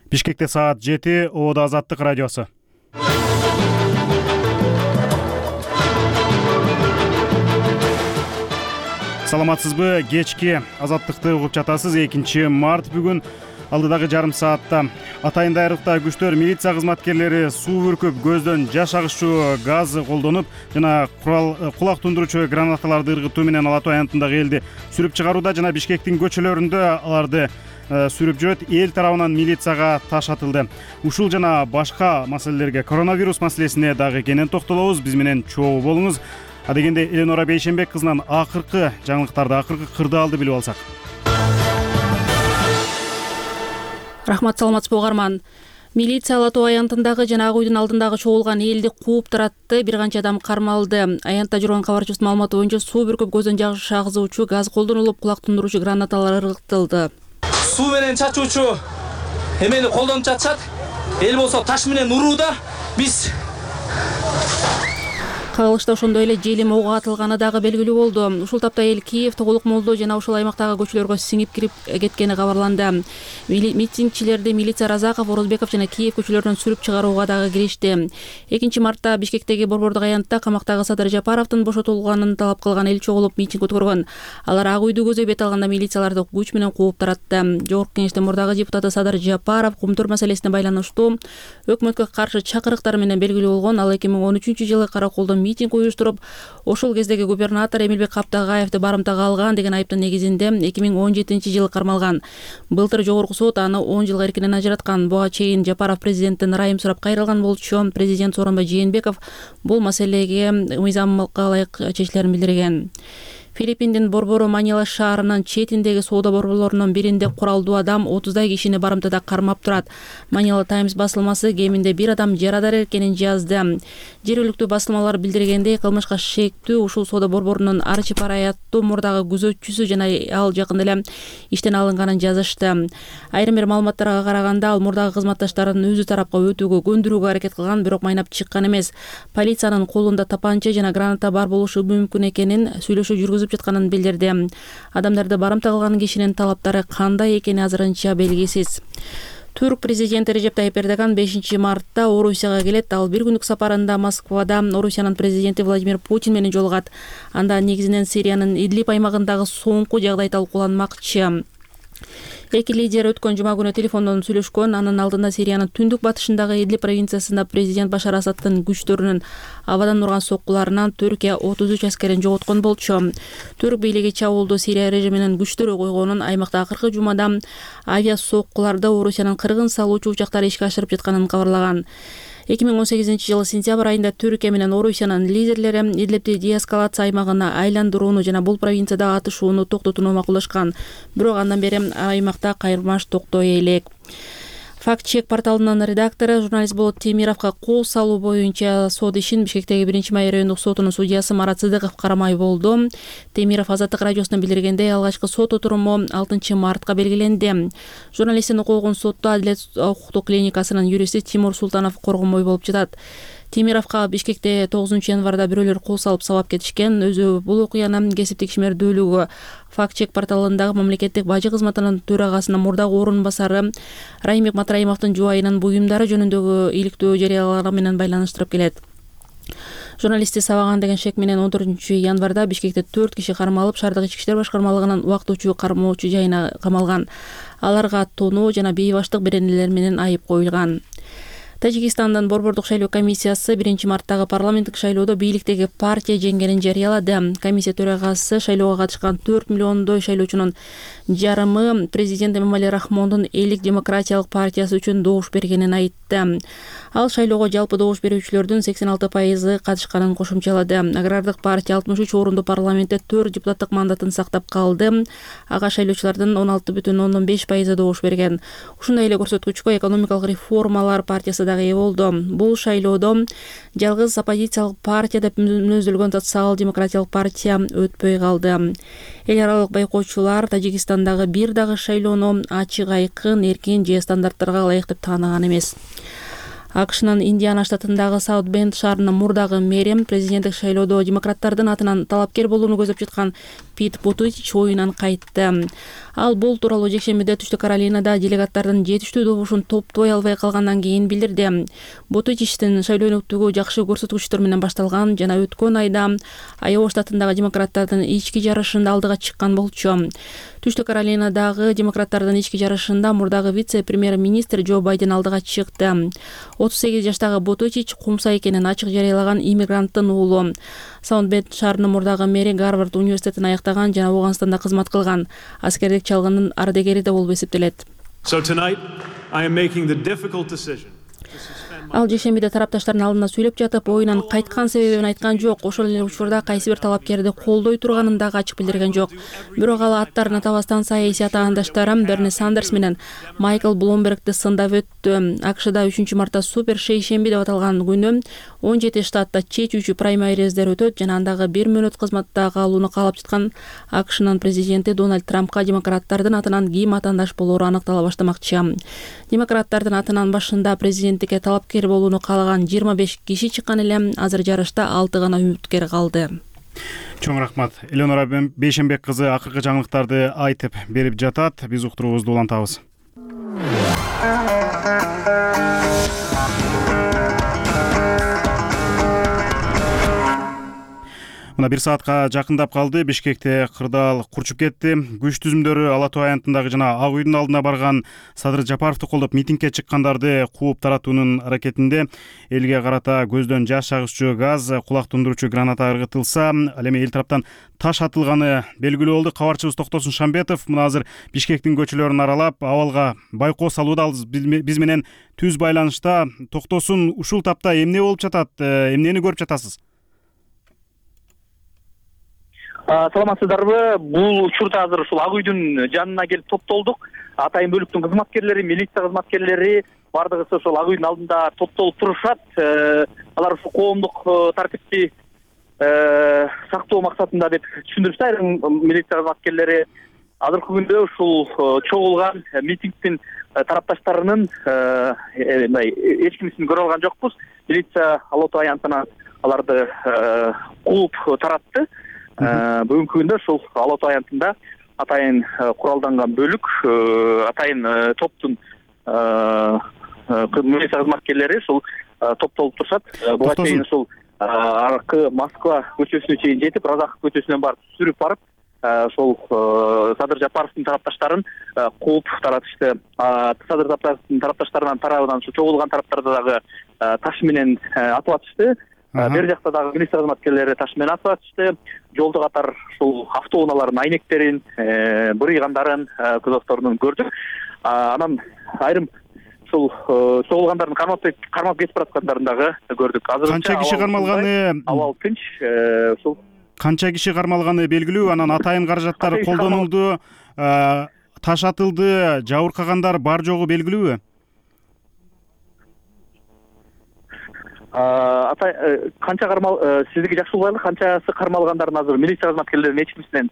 Бишкекте саат 7, Ободо Азаттык радиосу. Саламатсызбы? Кечки Азаттыкты угуп жатасыз. 2 март бүгүн. Алдыдагы жарым саатта Атайын дайрыкта күчтөр милиция кызматкерлери суу бүркүп, көздөн жаш агышчу газ колдонуп жана кулак тундуруучу гранаталарды ыргытуу менен Ала Тоо аянтындагы элди сүрүп чыгарууда жана Бишкектин көчөлөрүндө аларды сүрүп жүрөт. Эл тарабынан милицияга таш атылды. Ушул жана башка маселелерге, коронавирус маселесине дагы кенен токтолобуз. Биз менен чогуу болуңуз. Адегенде Эленора Бейшенбек кызынан акыркы жаңылыктарды, акыркы кырдаалды билип алсак. Рахмат, саламатсызбы угарман. Милиция Ала Тоо аянтындагы жана Ак үйдүн алдындагы чогулган элди кууп таратты. Бир канча адам кармалды. Аянтта жүргөн кабарчыбыздын маалыматы боюнча суу бүркүп, көздөн жаш агызуучу газ колдонулуп, кулак тундуруучу гранаталар ыргытылды. Суу менен чачуучу эмени колдонуп жатышат. Эл болсо таш менен урууда. Биз кагылышта ошондой эле желим ого атылганы дагы белгилүү болду. Ушул тапта эл Киев, Тогулук Молдо жана ушул аймактагы көчөлөргө сиңип кирип кеткени кабарланды. Митингчилерди милиция Разаков, Орозбеков жана Киев көчөлөрүнөн сүрүп чыгарууга дагы киришти. 2 мартта Бишкектеги Борбордук аянтта камактагы Садыр Жапаровдун бошотулганын талап кылган эл чогулуп митинг өткөргөн. Алар Ак үйдү көзөй бет алганда милицияларды күч менен кууп таратты. Жогорку кеңештин мурдагы депутаты Садыр Жапаров Кумтур маселесине байланыштуу өкмөткө каршы чакырыктар менен белгилүү болгон. Ал 2013-жылы караколдо митинг уюштуруп, ошол кездеги губернатор Эмилбек Каптагаевди барымтага алган деген айыптын негизинде 2017-жылы кармалган. Былтыр жогорку сот аны 10 жылга эркинен ажыраткан. Буга чейин Жапаров президенттен ырайым сурап кайрылган болчу. Президент Сооронбай Жээнбеков бул маселеге мыйзамга ылайык чечилерин билдирген. Филиппиндин Борбору Манила шаарынын четиндеги соода борборлорунун биринде куралдуу адам 30дай кишини барымтада кармап турат. Manila Times басылмасы кеминде бир адам жарадар экенин жазды. Жергиликтүү басылмалар билдиргендей, кылмышка шектүү ушул соода борборунун Арчипарай аттуу мурдагы күзөтчүсү жана ал жакында эле иштен алынганын жазышты. Айрым бир маалыматтарга караганда, ал мурдагы кызматташтарын өзү тарапка өтүүгө көндүрүүгө аракет кылган, бирок майнап чыккан эмес. Полициянын колунда тапанча жана граната бар болушу мүмкүн экенин сүйлөшүү жүргүзүп жатканын билдирди. Адамдарды барымта кылган кишинин талаптары кандай экени азырынча белгисиз. Түрк президенти Режеп Тайип Эрдоган 5 мартта Орусияга келет. Ал бир күндүк сапарында Москвада Орусиянын президенти Владимир Путин менен жолугат. Анда негизинен Сириянын Идлиб аймагындагы соңку жагдай талкууланмакчы. Эки лидер өткөн жума күнү телефондон сүйлөшкөн. Анын алдында Сириянын түндүк батышындагы Идлиб провинциясында президент Башар Асадтын күчтөрүнүн абадан урган соккуларынан Түркия 33 аскерин жоготкон болчу. Түрк бийлиги чабуулду Сирия режиминин күчтөрү койгонун, аймакта акыркы жумада авиа соккуларды Орусиянын кыргын салуучу учактары ишке ашырып жатканын кабарлаган. 2018-жылы сентябрь айында Түркия менен Орусиянын лидерлери Идлибди деэскалация аймагына айландырууну жана бул провинцияда атышууну токтотууну макулдашкан. Бирок андан бери аймакта кайрмаш токтой элек. Факт-чек порталынын редактору журналист Болот Темировго кол салуу боюнча сот ишин Бишкектеги 1-май райондук сотунун судьясы Марат Сыдыков карамай болду. Темиров Азаттык радиосуна билдиргендей, алгачкы сот отуруму 6 мартка белгиленди. Журналисттин окугун сотто Адилет укуктук клиникасынын юристи Тимур Султанов коргонбой болуп жатат. Темировго Бишкекте 9 январда бирөөлөр кол салып сабап кетишкен. Өзү бул окуяны кесиптик ишмердүүлүгү Факт-чек порталындагы мамлекеттик бажы кызматынын төрагасынын мурдагы орун басары Раймик Матраимовдун жубайынын буюмдары жөнүндөгү иликтөө жарыялары менен байланыштырып келет. Журналистти сабаган деген шек менен 14 январда Бишкекте 4 киши кармалып, шаардык ички иштер башкармалыгынын убактылуу кармоочу жайына камалган. Аларга тоноо жана бейбаштык беренелер менен айып коюлган. Тажикстандын Борбордук шайлоо комиссиясы 1 марттагы парламенттик шайлоодо бийликтеги партия жеңгенин жарыялады. Комиссия төрагасы шайлоого катышкан 4 миллиондой шайлоочунун жарымы президент Эмомали Рахмондун Элдик демократиялык партиясы үчүн добуш бергенин айтты. Ал шайлоого жалпы добуш берүүчүлөрдүн 86% катышканын кошумчалады. Агрардык партия 63 орунду парламентте 4 депутаттык мандатын сактап калды. Ага шайлоочулардын 16,5% добуш берген. Ушундай эле көрсөткүчкө экономикалык реформалар партиясы дагы ээ болду. Бул шайлоодо жалгыз оппозициялык партия деп мүнөздөлгөн социал-демократиялык партия өтпөй калды. Эл аралык байкоочулар Тажикстандагы бир дагы шайлоону ачык, айкын, эркин же стандарттарга ылайык деп тааныган эмес. АКШнын Индиана штатындагы Саут Бенд шаарынын мурдагы мэри президенттик шайлоодо демократтардын атынан талапкер болууну көздөп жаткан Пит Бутитич оюнан кайтты. Ал бул тууралуу жекшембиде Түштүк Каролинада делегаттардын жетиштүү добушун топтой албай калгандан кийин билдирди. Бутитичтин шайлоо өнөктүгү жакшы көрсөткүчтөр менен башталган жана өткөн айда Айова штатындагы демократтардын ички жарышында алдыга чыккан болчу. Түштүк Каролинадагы демократтардын ички жарышында мурдагы вице-премьер-министр Джо Байден алдыга чыкты. 38 жаштагы Бутитич кумса экенин ачык жарыялаган иммигранттын уулу. Саут Бенд шаарынын мурдагы мэри Гарвард университетин аяктаган жана Афганстанда кызмат кылган. Аскердик чалгындын ардегери да болуп эсептелет. So tonight I am making the difficult decision. Ал жекшембиде тарапташтардын алдында сүйлөп жатып, оюнан кайткан себебин айткан жок. Ошол эле учурда кайсы бир талапкерди колдой турганын дагы ачык билдирген жок. Бирок ал аттарын атабастан саясий атаандаштары Берни Сандерс менен Майкл Блумбергди сындап өттү. АКШда 3-мартта супер шейшемби деп аталган күнү 17 штатта чечүүчү праймериздер өтөт жана андагы 1 мүнөт кызматта калууну каалап жаткан АКШнын президенти Дональд Трампка демократтардын атынан ким атаандаш болоору аныктала баштамакчы. Демократтардын атынан башында президенттикке талапкер болууну каалаган 25 киши чыккан эле, азыр жарышта 6 гана үмүткер калды. Чоң рахмат. Элеонора Бейшенбек кызы акыркы жаңылыктарды айтып берип жатат. Биз уктуруубузду улантабыз. Мына 1 саатка жакындап калды. Бишкекте кырдаал курчуп кетти. Күч түзүмдөрү Ала Тоо аянтындагы жана Ак үйдүн алдына барган Садыр Жапаровду колдоп митингге чыккандарды кууп таратуунун аракетинде элге карата көздөн жаш чагышчу газ, кулак тундуруучу граната ыргытылса, ал эми эл тараптан таш атылганы белгилүү болду. Кабарчыбыз Токтосун Шамбетов мына азыр Бишкектин көчөлөрүн аралап, абалга байкоо салууда. Биз менен түз байланышта. Токтосун, ушул тапта эмне болуп жатат? Эмнени көрүп жатасыз? Саламатсыздарбы? Бул учурда азыр ушул Ак үйдүн жанына келип топтолдук. Атайын бөлүктүн кызматкерлери, милиция кызматкерлери бардыгысы ошол Ак үйдүн алдында топтолуп турушат. Алар ушул коомдук тартипти сактоо максатында деп түшүндүрүштү. Айрым милиция кызматкерлери азыркы күндө ушул чогулган митингдин тарапташтарынын эч кимисин көрө алган жокпуз. Милиция Ала Тоо аянтынан аларды кууп таратты. Бүгүнкү күндө ушул Ала Тоо аянтында атайын куралданган бөлүк, атайын топтун милиция кызматкерлери ушул топтолуп турушат. Буга чейин ушул аркы Москва көчөсүнө чейин жетип, Разахов көчөсүнөн барып сүрүп барып, ошол Садыр Жапаровдун тарапташтарын кууп таратышты. Садыр Жапаровдун тарапташтарынын тарабынан ушу чогулган тараптарды дагы таш менен атып атышты. Бер жакта дагы милиция кызматкерлери таш менен атып атышты. Жолдо катар ушул автоунаалардын айнектерин, бырыйгандарын, кузовторун көрдүк. Анан айрым ушул чогулгандардын кармап кетип бараткандарын дагы көрдүк. Азыр Канча киши кармалганы? Абал тынч. Ушул канча киши кармалганы белгилүү. Анан атайын каражаттар колдонулду, таш атылды, жабыркагандар бар жогу белгилүүбү? Канча сиздики жакшы угайлы, канчасы кармалгандарын азыр милиция кызматкерлеринин эч кимисинен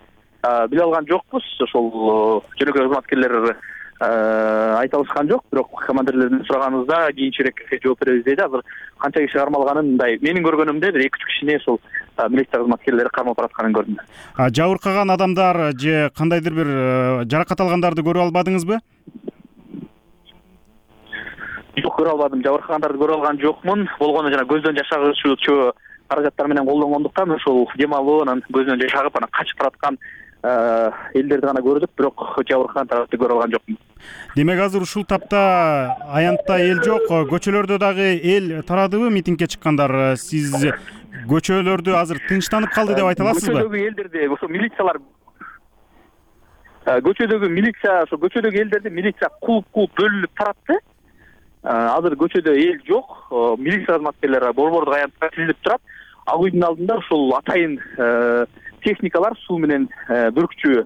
биле алган жокпуз. Ошол жөнөкөй кызматкерлер айта алышкан жок, бирок командирлерден сураганыбызда кийинчерээк жооп беребиз дейт. Азыр канча киши кармалганын мындай менин көргөнүмдө бир 2-3 кишини ошол милиция кызматкерлери кармап баратканын көрдүм. Жабыркаган адамдар же кандайдыр бир жаракат алгандарды көрүп албадыңызбы? Жок, көрө албадым. Жабыркагандарды көрө алган жокмун. Болгону жана көздөн жаш агычуучу каражаттар менен колдонгондуктан ошол демалуу, анан көздөн жаш агып, анан качып бараткан элдерди гана көрдүк, бирок жабыркаган тарапты көрө алган жокмун. Демек азыр ушул тапта аянтта эл жок, көчөлөрдө дагы эл тарадыбы митингге чыккандар? Сиз көчөлөрдү азыр тынчтанып калды деп айта аласызбы? Көчөдөгү элдерди ошо милициялар көчөдөгү элдерди милиция кууп бөлүнүп таратты. Азыр көчөдө эл жок, милиция кызматкерлери борбордук аянтка тизилип турат. Ак үйдүн алдында ушул атайын техникалар суу менен бүркчү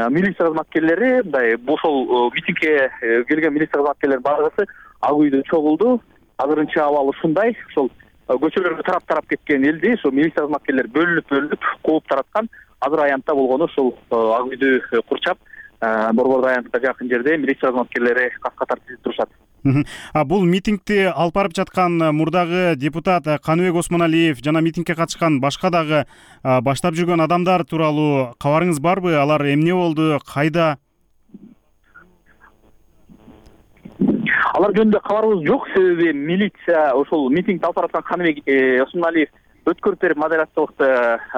милиция кызматкерлери, мындай ошол митингге келген милиция кызматкерлери бардыгысы Ак үйдө чогулду. Азырынча абал ушундай. Ошол көчөлөргө тарап кеткен элди ошол милиция кызматкерлери бөлүнүп кууп тараткан. Азыр аянтта болгону ушул Ак үйдү курчап, борбордук аянтка жакын жерде милиция кызматкерлери кат-катар тизилип турушат. Бул митингди алып барып жаткан мурдагы депутат Каныбек Осмоналиев жана митингге катышкан башка дагы баштап жүргөн адамдар тууралуу кабарыңыз барбы? Алар эмне болду, кайда? Алар жөнүндө кабарыбыз жок, себеби милиция ошол митингди алып бараткан Каныбек Осмоналиев өткөрүп берип, модераторлукту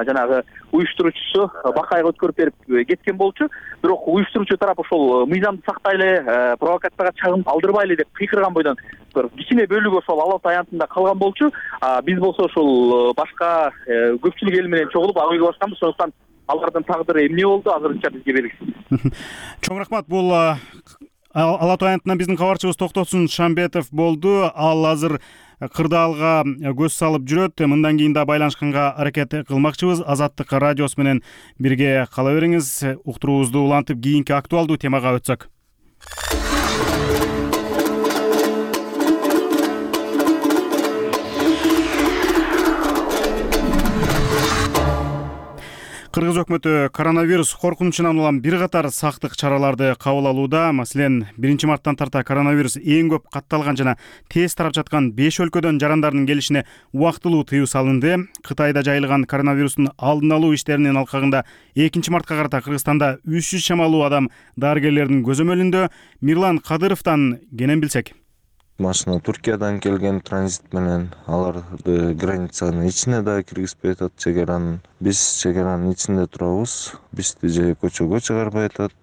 жанагы уюштуруучусу Бакайга өткөрүп берип кеткен болчу. Бирок уюштуруучу тарап ошол мыйзамды сактайлы, провокацияга чагым калтырбайлы деп кыйкырган бойдон кичине бөлүгү ошол Ала Ата аянтында калган болчу. Биз болсо ошол башка көпчүлүк эл менен чогулуп ак үйгө башканбыз. Сондуктан алардын тагдыры эмне болду азырынча бизге белгисиз. Чоң рахмат. Бул Ала Ата аянтынан биздин кабарчыбыз Токтосун Шамбетов болду. Ал азыр кырдаалга көз салып жүрөт. Мындан кийин да байланышканга аракет кылмакчыбыз. Азаттык радиосу менен бирге кала бериңиз. Уктуруубузду улантып кийинки актуалдуу темага өтсөк. Кыргыз өкмөтү коронавирус коркунучунан улам бир катар сактык чараларды кабыл алууда. Маселен, 1-марттан тарта коронавирус эң көп катталган жана тез тарап жаткан 5 өлкөдөн жарандардын келишине убактылуу тыюу салынды. Кытайда жайылган коронавирустун алдын алуу иштеринин алкагында 2-мартка карата Кыргызстанда 300 чамалуу адам дарыгерлердин көзөмөлүндө. Мирлан Кадыровдон кенен билсек. Машина Туркиядан келген транзит менен аларды границанын ичине да киргизбей атат чегаранын. Биз чегаранын ичинде турабыз. Бизди же көчөгө чыгарбай атат,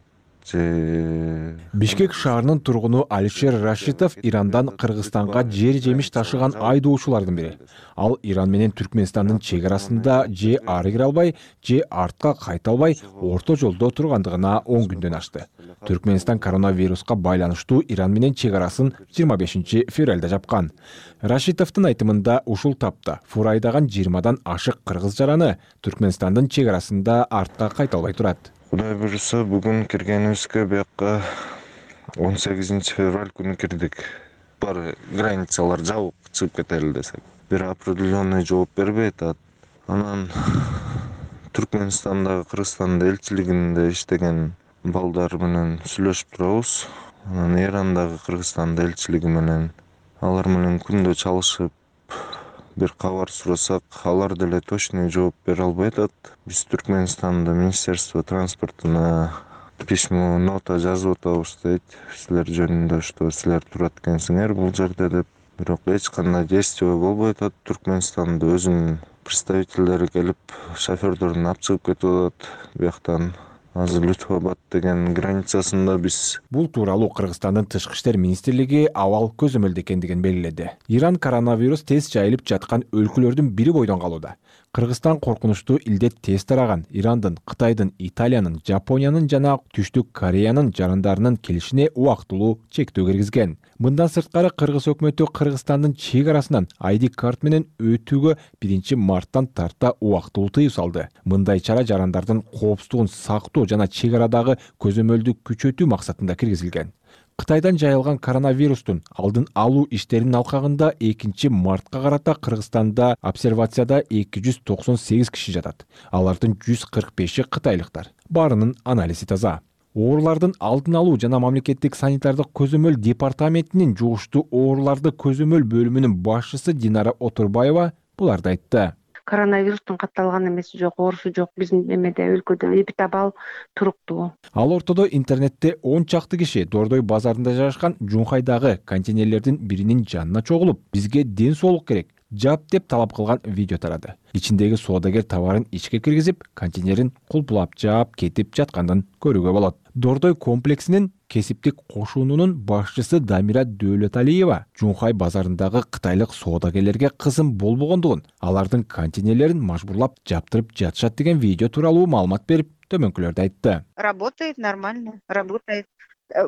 же Бишкек шаарынын тургуну Алишер Рашитов Ирандан Кыргызстанга жер жемиш ташыган айдоочулардын бири. Ал Иран менен Түркмөнстандын чегарасында же ары кире албай, же артка кайта албай орто жолдо тургандыгына 10 күндөн ашты. Түркмөнстан коронавируска байланыштуу Иран менен чегарасын 25 февралда жапкан. Рашитовдун айтымында ушул тапта фурайдаган 20дан ашык кыргыз жараны Түркмөнстандын чегарасында артка кайта албай турат. Кудай буюрса, бүгүн киргенибизге бияка 18 февраль күнү кирдик. Бар границалар жабык, чыгып кетели десек. Бир определенный жооп бербей атат. Анан Түркмөнстандагы Кыргызстандын элчилигинде иштеген балдар менен сүйлөшүп турабыз. Анан Ирандагы Кыргызстандын элчилиги менен алар менен күндө чалышып бир кабар сурасак, алар деле точный жооп бере албай атат. Биз Түркмөнстанда Министерство транспортуна письмо, нота жазып атабыз дейт. Силер жөнүндө что силер турат экенсиңер бул жерде деп. Бирок эч кандай действие болбой атат. Түркмөнстанда өзүнүн представителдери келип, шофёрдөрүн алып чыгып кетип атат. Бияктан азыр Лютфабад деген границасында биз. Бул тууралуу Кыргызстандын тышкы иштер министрлиги абал көзөмөлдө экендигин белгиледи. Иран коронавирус тез жайылып жаткан өлкөлөрдүн бири бойдон калууда. Кыргызстан коркунучтуу илдет тез тараган Ирандын, Кытайдын, Италиянын, Жапониянын жана Түштүк Кореянын жарандарынын келишине убактылуу чектөө киргизген. Мындан сырткары Кыргыз өкмөтү Кыргызстандын чегарасынан ID карт менен өтүүгө 1-марттан тарта убактылуу тыюу салды. Мындай чара жарандардын коопсуздугун сактоо жана чегарадагы көзөмөлдү күчөтүү максатында киргизилген. Кытайдан жайылган коронавирустун алдын алуу иштеринин алкагында 2-мартка карата Кыргызстанда обсервацияда 298 киши жатат. Алардын 145-и кытайлыктар. Баарынын анализи таза. Оорулардын алдын алуу жана мамлекеттик санитардык көзөмөл департаментинин жугуштуу ооруларды көзөмөл бөлүмүнүн башчысы Динара Отурбаева буларды айтты. Коронавирустун катталган эмеси жок, оорусу жок. Биздин эмеде өлкөдө эпидабал туруктуу. Ал ортодо интернетте 10 чакты киши Дордой базарында жайгашкан Жунхайдагы контейнерлердин биринин жанына чогулуп, бизге ден соолук керек, жап деп талап кылган видео тарады. Ичиндеги соодагер товарын ичке киргизип, контейнерин кулпулап жаап кетип жатканын көрүүгө болот. Дордой комплексинин кесиптик кошуунунун башчысы Дамира Дөөлөталиева Жунхай базарындагы кытайлык соодагерлерге кызым болбогондугун, алардын контейнерлерин мажбурлап жаптырып жатышат деген видео тууралуу маалымат берип, төмөнкүлөрдү айтты. Работает нормально, работает.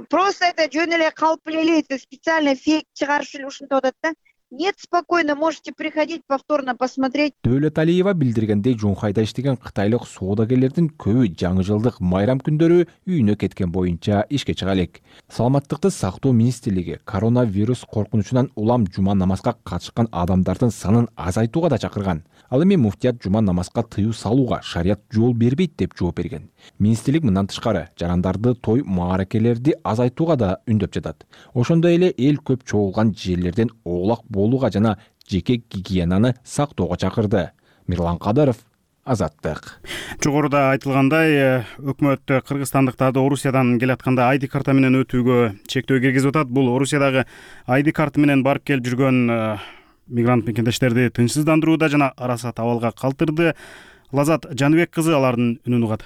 Просто это жөн эле калп эле специально фейк чыгарыш эле ушинтип атат да. Нет, спокойно, можете приходить повторно посмотреть. Дөөлөт Алиева билдиргендей, Жунхайда иштеген кытайлык соодагерлердин көбү жаңы жылдык майрам күндөрү үйүнө кеткен боюнча ишке чыга элек. Саламаттыкты сактоо министрлиги коронавирус коркунучунан улам жума намазга катышкан адамдардын санын азайтууга да чакырган. Ал эми муфтият жума намазга тыюу салууга шарият жол бербейт деп жооп берген. Министрлик мындан тышкары жарандарды, той мааракелерди азайтууга да үндөп жатат. Ошондой эле эл көп чогулган жерлерден оолак болууга жана жеке гигиенаны сактоого чакырды. Мирлан Кадыров, Азаттык. Жогоруда айтылгандай, өкмөт кыргызстандыктарды Орусиядан келатканда ID карта менен өтүүгө чектөө киргизип атат. Бул Орусиядагы ID карта менен барып келип жүргөн мигрант мекендештерди тынчсыздандырууда жана арасат абалга калтырды. Лазат Жаныбек кызы алардын үнүн угат.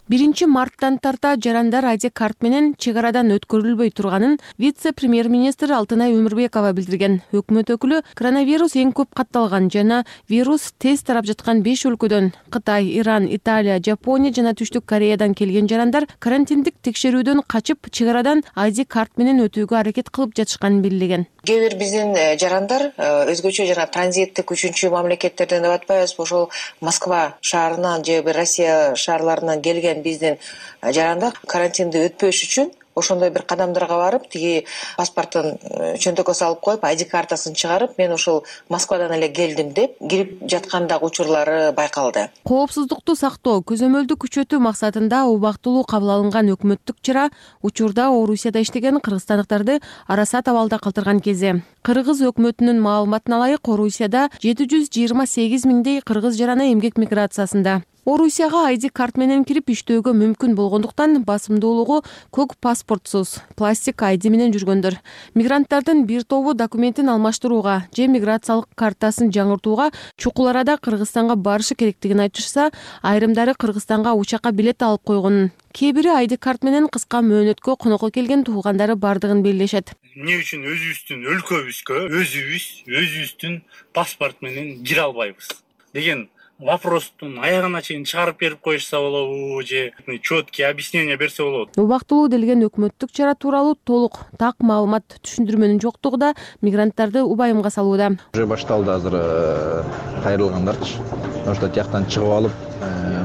1 марттан тарта жарандар ID карт менен чек арадан өткөрүлбөй турганын вице-премьер-министр Алтынай Өмүрбекова билдирген. Өкмөт өкүлү коронавирус эң көп катталган жана вирус тез тарап жаткан 5 өлкөдөн Кытай, Иран, Италия, Жапония жана Түштүк Кореядан келген жарандар карантиндик текшерүүдөн качып чек арадан ID карт менен өтүүгө аракет кылып жатышканын белгилеген. Кээ бир биздин жарандар өзгөчө жана транзиттик 3 мамлекеттерден деп атпайбызбы, ошол Москва шаарынан же Россия шаарларынан келген биздин жарандар карантинди өтпөш үчүн ошондой бир кадамдарга барып, тиги паспортун чөнтөккө салып коюп, ID картасын чыгарып, мен ошол Москвадан эле келдим деп кирип жаткандагы учурлары байкалды. Коопсуздукту сактоо, көзөмөлдү күчөтүү максатында убактылуу кабыл алынган өкмөттүк чара учурда Орусияда иштеген кыргызстандыктарды арасат абалда калтырган кезде. Кыргыз өкмөтүнүн маалыматына ылайык, Орусияда 728 миңдей кыргыз жараны эмгек миграциясында. Орусияга ID карт менен кирип иштөөгө мүмкүн болгондуктан басымдуулугу көк паспортсуз, пластик ID менен жүргөндөр. Мигранттардын бир тобу документин алмаштырууга же миграциялык картасын жаңыртууга чукул арада Кыргызстанга барышы керектигин айтышса, айрымдары Кыргызстанга учакка билет алып койгонун, кээ бири ID карт менен кыска мөөнөткө конокко келген туугандары бардыгын белгилешет. Эмне үчүн өзүбүздүн өлкөбүзгө өзүбүздүн паспорт менен кире албайбыз деген вопростун аягына чейин чыгарып берип коюшса болобу же четкий объяснение берсе болот. Убактылуу делген өкмөттүк чара тууралуу толук так маалымат түшүндүрмөнүн жоктугу да мигранттарды убайымга салууда. Уже башталды азыр кайрылгандарчы. Ошто тияктан чыгып алып,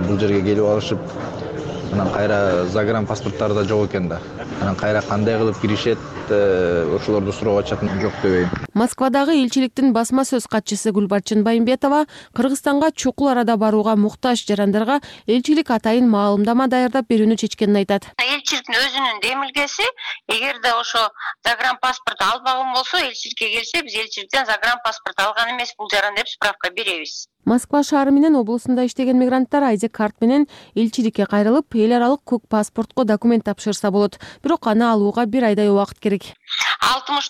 бул жерге келип алышып, анан кайра загран паспорттары да жок экен да. Анан кайра кандай кылып киришет, ошолорду суроо чакын жок дебейм. Москвадагы элчиликтин басма сөз катчысы Гүлбарчын Байымбетова Кыргызстанга чукул арада барууга муктаж жарандарга элчилик атайын маалымдама даярдап берүүнү чечкенин айтат. Элчиликтин өзүнүн демилгеси, эгерде ошо загранпаспорт албаган болсо, элчиликке келсе, биз элчиликтен загранпаспорт алган эмес бул жаран деп справка беребиз. Москва шаары менен облусунда иштеген мигранттар ID карт менен элчиликке кайрылып, эл аралык көк паспортко документ тапшырса болот. Бирок аны алууга 1 айдай убакыт керек. $60.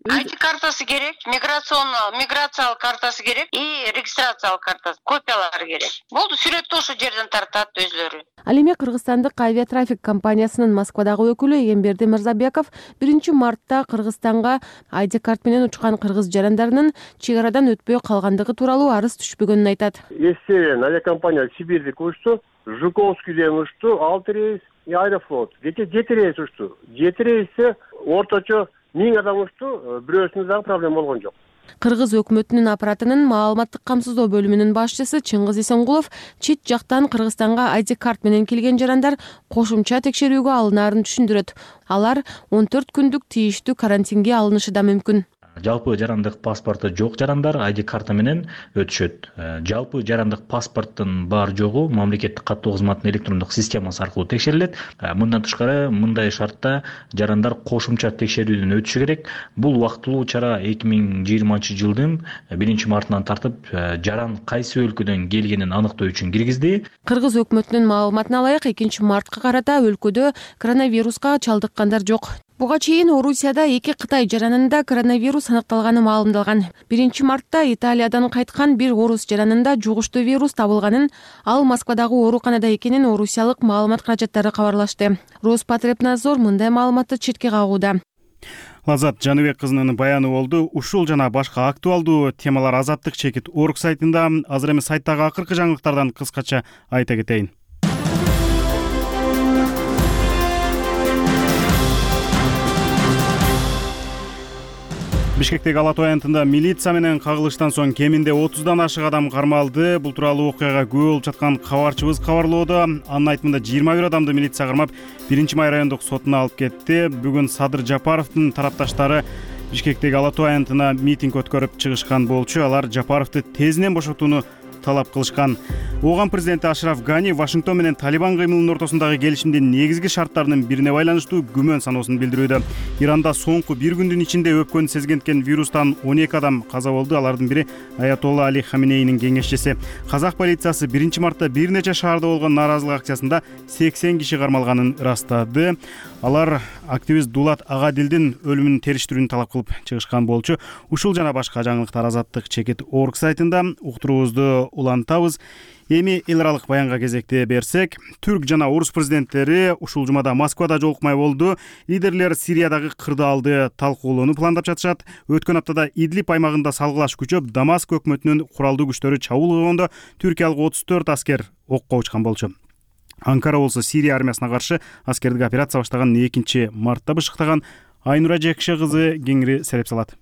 ID картасы керек, миграциялык картасы керек и регистрациялык картасы, копиялары керек. Болду, сүрөттү ошо жерден тартат өзлөрү. Ал эми Кыргызстандык авиатрафик компаниясынын Москвадагы өкүлү Эгемберди Мырзабеков 1 мартта Кыргызстанга ID карт менен учкан кыргыз жарандарынын чек арадан өтпөй калгандыгы тууралуу арыз түшпөгөнүн айтат. Северная авиакомпания Сибирьдик учту, Жуковскийден учту, 6 рейс и Аэрофлот. 7 рейс учту. 7 рейсте орточо 1000 адам учту, бирөөсүндө дагы проблема болгон жок. Кыргыз өкмөтүнүн аппаратынын маалыматтык камсыздоо бөлүмүнүн башчысы Чыңгыз Исенгулов чет жактан Кыргызстанга ID карт менен келген жарандар кошумча текшерүүгө алынаарын түшүндүрөт. Алар 14 күндүк тийиштүү карантинге алынышы да мүмкүн. Жалпы жарандык паспорту жок жарандар ID карта менен өтүшөт. Жалпы жарандык паспорттун бар жогу мамлекеттик каттоо кызматынын электрондук системасы аркылуу текшерилет. Мындан тышкары, мындай шартта жарандар кошумча текшерүүдөн өтүшү керек. Бул убактылуу чара 2020-жылдын 1 мартынан тартып, жаран кайсы өлкөдөн келгенин аныктоо үчүн киргизди. Кыргыз өкмөтүнүн маалыматына ылайык 2 мартка карата өлкөдө коронавируска чалдыккандар жок. Буга чейин Орусияда 2 Кытай жаранында коронавирус аныкталганы маалымдалган. 1 мартта Италиядан кайткан бир орус жаранында жугуштуу вирус табылганын, ал Москвадагы ооруканада экенин орусиялык маалымат каражаттары кабарлашты. Роспотребнадзор мындай маалыматты четке кагууда. Лазат Жаныбек кызынын баяны болду. Ушул жана башка актуалдуу темалар Азаттык чекит орг сайтында. Азыр эми сайттагы акыркы жаңылыктардан кыскача айта кетейин. Бишкектеги Ала Тоо аянтында милиция менен кагылыштан соң кеминде 30дан ашык адам кармалды. Бул тууралуу окуяга күбө болуп жаткан кабарчыбыз кабарлоодо. Анын айтымында 21 адамды милиция кармап 1-май райондук сотуна алып кетти. Бүгүн Садыр Жапаровдун тарапташтары Бишкектеги Ала Тоо аянтына митинг өткөрүп чыгышкан болчу. Алар Жапаровду тезинен бошотууну талап кылышкан. Ооган президенти Ашраф Гани Вашингтон менен Талибан кыймылынын ортосундагы келишимдин негизги шарттарынын бирине байланыштуу күмөн саноосун билдирүүдө. Иранда соңку бир күндүн ичинде өпкөнү сезгенткен вирустан 12 адам каза болду. Алардын бири Аятолла Али Хаминейнин кеңешчиси. Казак полициясы 1-мартта бир нече шаарда болгон нааразылык акциясында 80 киши кармалганын ырастады. Алар активист Дулат Агадилдин өлүмүн териштирүүнү талап кылып чыгышкан болчу. Ушул жана башка жаңылыктар Азаттык чекит орг сайтында. Уктуруубузду улантабыз. Эми эл аралык баянга кезекте берсек, түрк жана орус президенттери ушул жумада Москвада жолукмай болду. Лидерлер Сириядагы кырдаалды талкуулоону пландап жатышат. Өткөн аптада Идлиб аймагында салгылаш күчөп, Дамаск өкмөтүнүн куралдуу күчтөрү чабуул кылгондо түркиялык 34 аскер окко учкан болчу. Анкара болсо Сирия армиясына каршы аскердик операция баштаган 2-мартта бышыктаган. Айнура Жекше кызы кеңири сереп салат.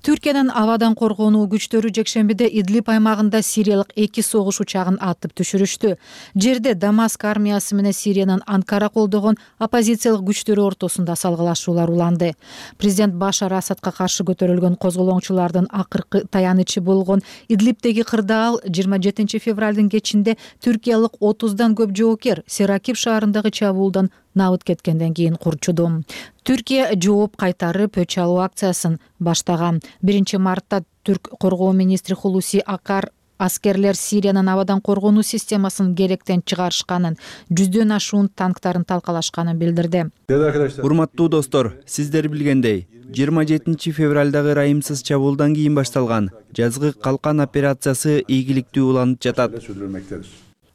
Түркиянын абадан коргонуу күчтөрү жекшембиде Идлиб аймагында сириялык 2 согуш учагын атып түшүрүштү. Жерде Дамаск армиясы менен Сириянын Анкара колдогон оппозициялык күчтөрү ортосунда салгылашуулар уланды. Президент Башар Асадка каршы көтөрүлгөн козголоңчулардын акыркы таянычы болгон Идлибдеги кырдаал 27 февралдын кечинде түркиялык 30дан көп жоокер Серакип шаарындагы чабуулдан набыт кеткенден кийин курчуду. Түркия жооп кайтарып өч алуу акциясын баштаган. 1-мартта түрк коргоо министри Хулуси Акар аскерлер Сириянын абадан коргонуу системасын керектен чыгарышканын, 100дөн ашуун танктарын талкалашканын билдирди. Урматтуу достор, сиздер билгендей, 27 февралдагы ырайымсыз чабуулдан кийин башталган жазгы калкан операциясы ийгиликтүү уланып жатат.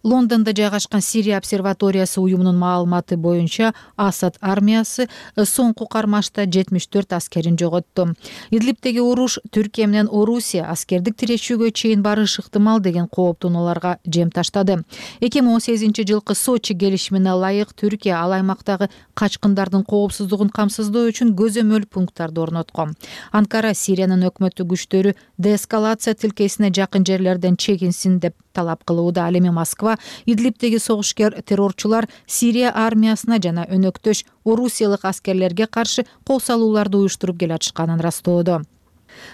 Лондондо жайгашкан Сирия обсерваториясы уюмунун маалыматы боюнча Асад армиясы соңку кармашта 74 аскерин жоготту. Идлибдеги уруш Түркия менен Орусия аскердик тирешүүгө чейин барышы ыктымал деген кооптонууларга жем таштады. 2018 жылкы Сочи келишимине ылайык Түркия ал аймактагы качкындардын коопсуздугун камсыздоо үчүн көзөмөл пункттарды орноткон. Анкара Сириянын өкмөттүк күчтөрү деэскалация тилкесине жакын жерлерден чегинсин деп талап кылууда. Ал эми Москва Идлибдеги согушкер террорчулар Сирия армиясына жана өнөктөш орусиялык аскерлерге каршы кол салууларды уюштуруп келатышканын ырастоодо.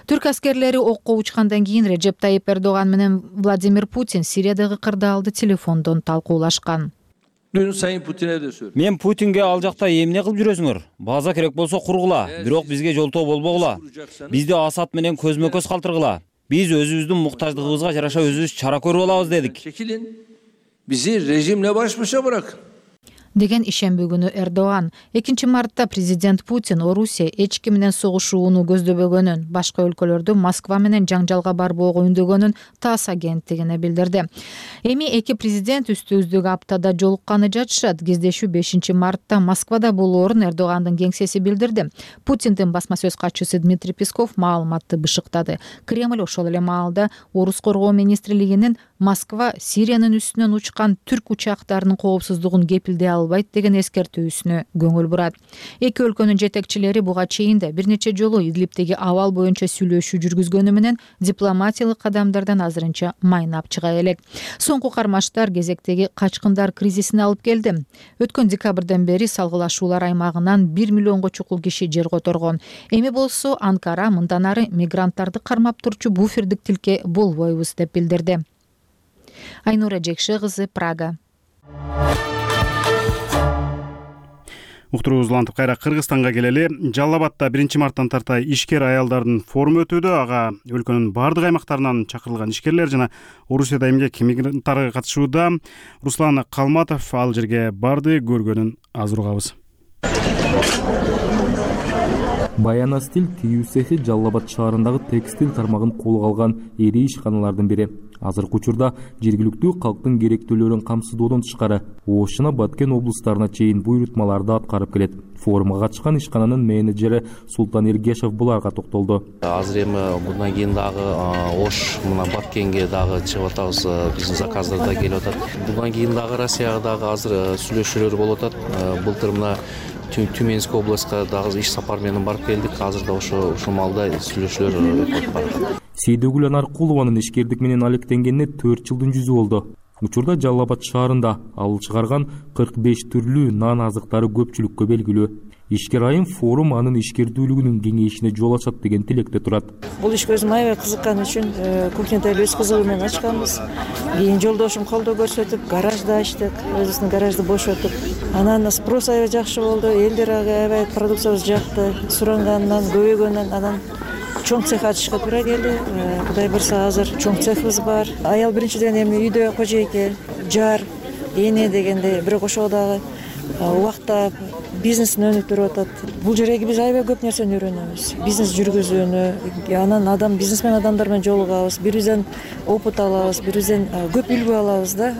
Түрк аскерлери окко учкандан кийин Режеп Тайип Эрдоган менен Владимир Путин Сириядагы кырдаалды телефондон талкуулашкан. Мен Путинге ал жакта эмне кылып жүрөсүңөр? База керек болсо кургула, бирок бизге жолтоо болбогула. Бизди Асад менен көзмө-көз калтыргыла. Биз өзүбүздүн муктаждыгыбызга жараша өзүбүз чара көрүп алабыз дедик. Bizi rejimle baş başa bırakın. Деген ишемби күнү Эрдоган 2-мартта президент Путин Орусия эч ким менен согушууну көздөбөгөнүн, башка өлкөлөрдө Москва менен жаңжалга барбоого үндөгөнүн ТАСС агенттигине билдирди. Эми эки президент үстү-үздүк аптада жолукканы жатышат. Кездешүү 5-мартта Москвада болоорун Эрдогандын кеңсеси билдирди. Путиндин басма сөз катчысы Дмитрий Песков маалыматты бышыктады. Кремль ошол эле маалда Орус коргоо министрлигинин Москва Сириянын үстүнөн учкан түрк учактарынын коопсуздугун кепилдей албайт деген эскертүүсүнө көңүл бурат. Эки өлкөнүн жетекчилери буга чейин да бир нече жолу Идлибдеги абал боюнча сүйлөшүү жүргүзгөнү менен дипломатиялык кадамдардан азырынча майнап чыга элек. Соңку кармаштар кезектеги качкындар кризисине алып келди. Өткөн декабрдан бери салгылашуулар аймагынан 1 миллионго чукул киши жер которгон. Эми болсо Анкара мындан ары мигранттарды кармап турчу буфердик тилке болбойбуз деп билдирди. Айнура Жекше кызы, Прага. Уктуруубузду улантып кайра Кыргызстанга келели. Жалал Абадта 1-марттан тарта ишкер аялдардын форуму өтүүдө. Ага өлкөнүн бардык аймактарынан чакырылган ишкерлер жана Орусияда эмгек мигранттары катышууда. Руслан Калматов ал жерге барды, көргөнүн азыр угабыз. Баяна стиль тигүү цехи Жалал Абад шаарындагы текстиль тармагын колго алган ири ишканалардын бири. Азыркы учурда жергиликтүү калктын керектүүлөрүн камсыздоодон тышкары Ош жана Баткен облустарына чейин буйрутмаларды аткарып келет. Форумга катышкан ишкананын менеджери Султан Эргешев буларга токтолду. Азыр эми мындан кийин дагы Ош мына Баткенге дагы чыгып атабыз, биздин заказдар да келип атат. Мындан кийин дагы Россияга дагы азыр сүйлөшүүлөр болуп атат. Былтыр мына Тюменский областка дагы иш сапар менен барып келдик. Азыр да ушул маалда сүйлөшүүлөр өтүп барат. Сейдөгүл Анаркулованын ишкердик менен алектенгенине 4 жылдын жүзү болду. Учурда Жалал Абад шаарында ал чыгарган 45 түрлүү нан азыктары көпчүлүккө белгилүү. Ишкер айым форум анын ишкердүүлүгүнүн кеңейишине жол ачат деген тилекте турат. Бул ишке өзүм аябай кызыккан үчүн кухняда өз кызыгы менен ачканбыз. Кийин жолдошум колдоо көрсөтүп, гаражда ачтык, өзүбүздүн гаражды бошотуп. Анан спрос аябай жакшы болду. Элдер аябай продукциябыз жакты. Сурангандан, көбөйгөндөн анан чоң цех ачышка туура келди. Кудай буюрса азыр чоң цехибиз бар. Аял биринчиден эми үйдө кожойке, жар, эне дегендей, бирок ошого дагы убакта бизнесин өнүктүрүп атат. Бул жерге биз аябай көп нерсени үйрөнөбүз. Бизнес жүргүзүүнү, анан бизнесмен адамдар менен жолугабыз, бири бирибизден опыт алабыз, бири бирибизден көп үлгү алабыз да.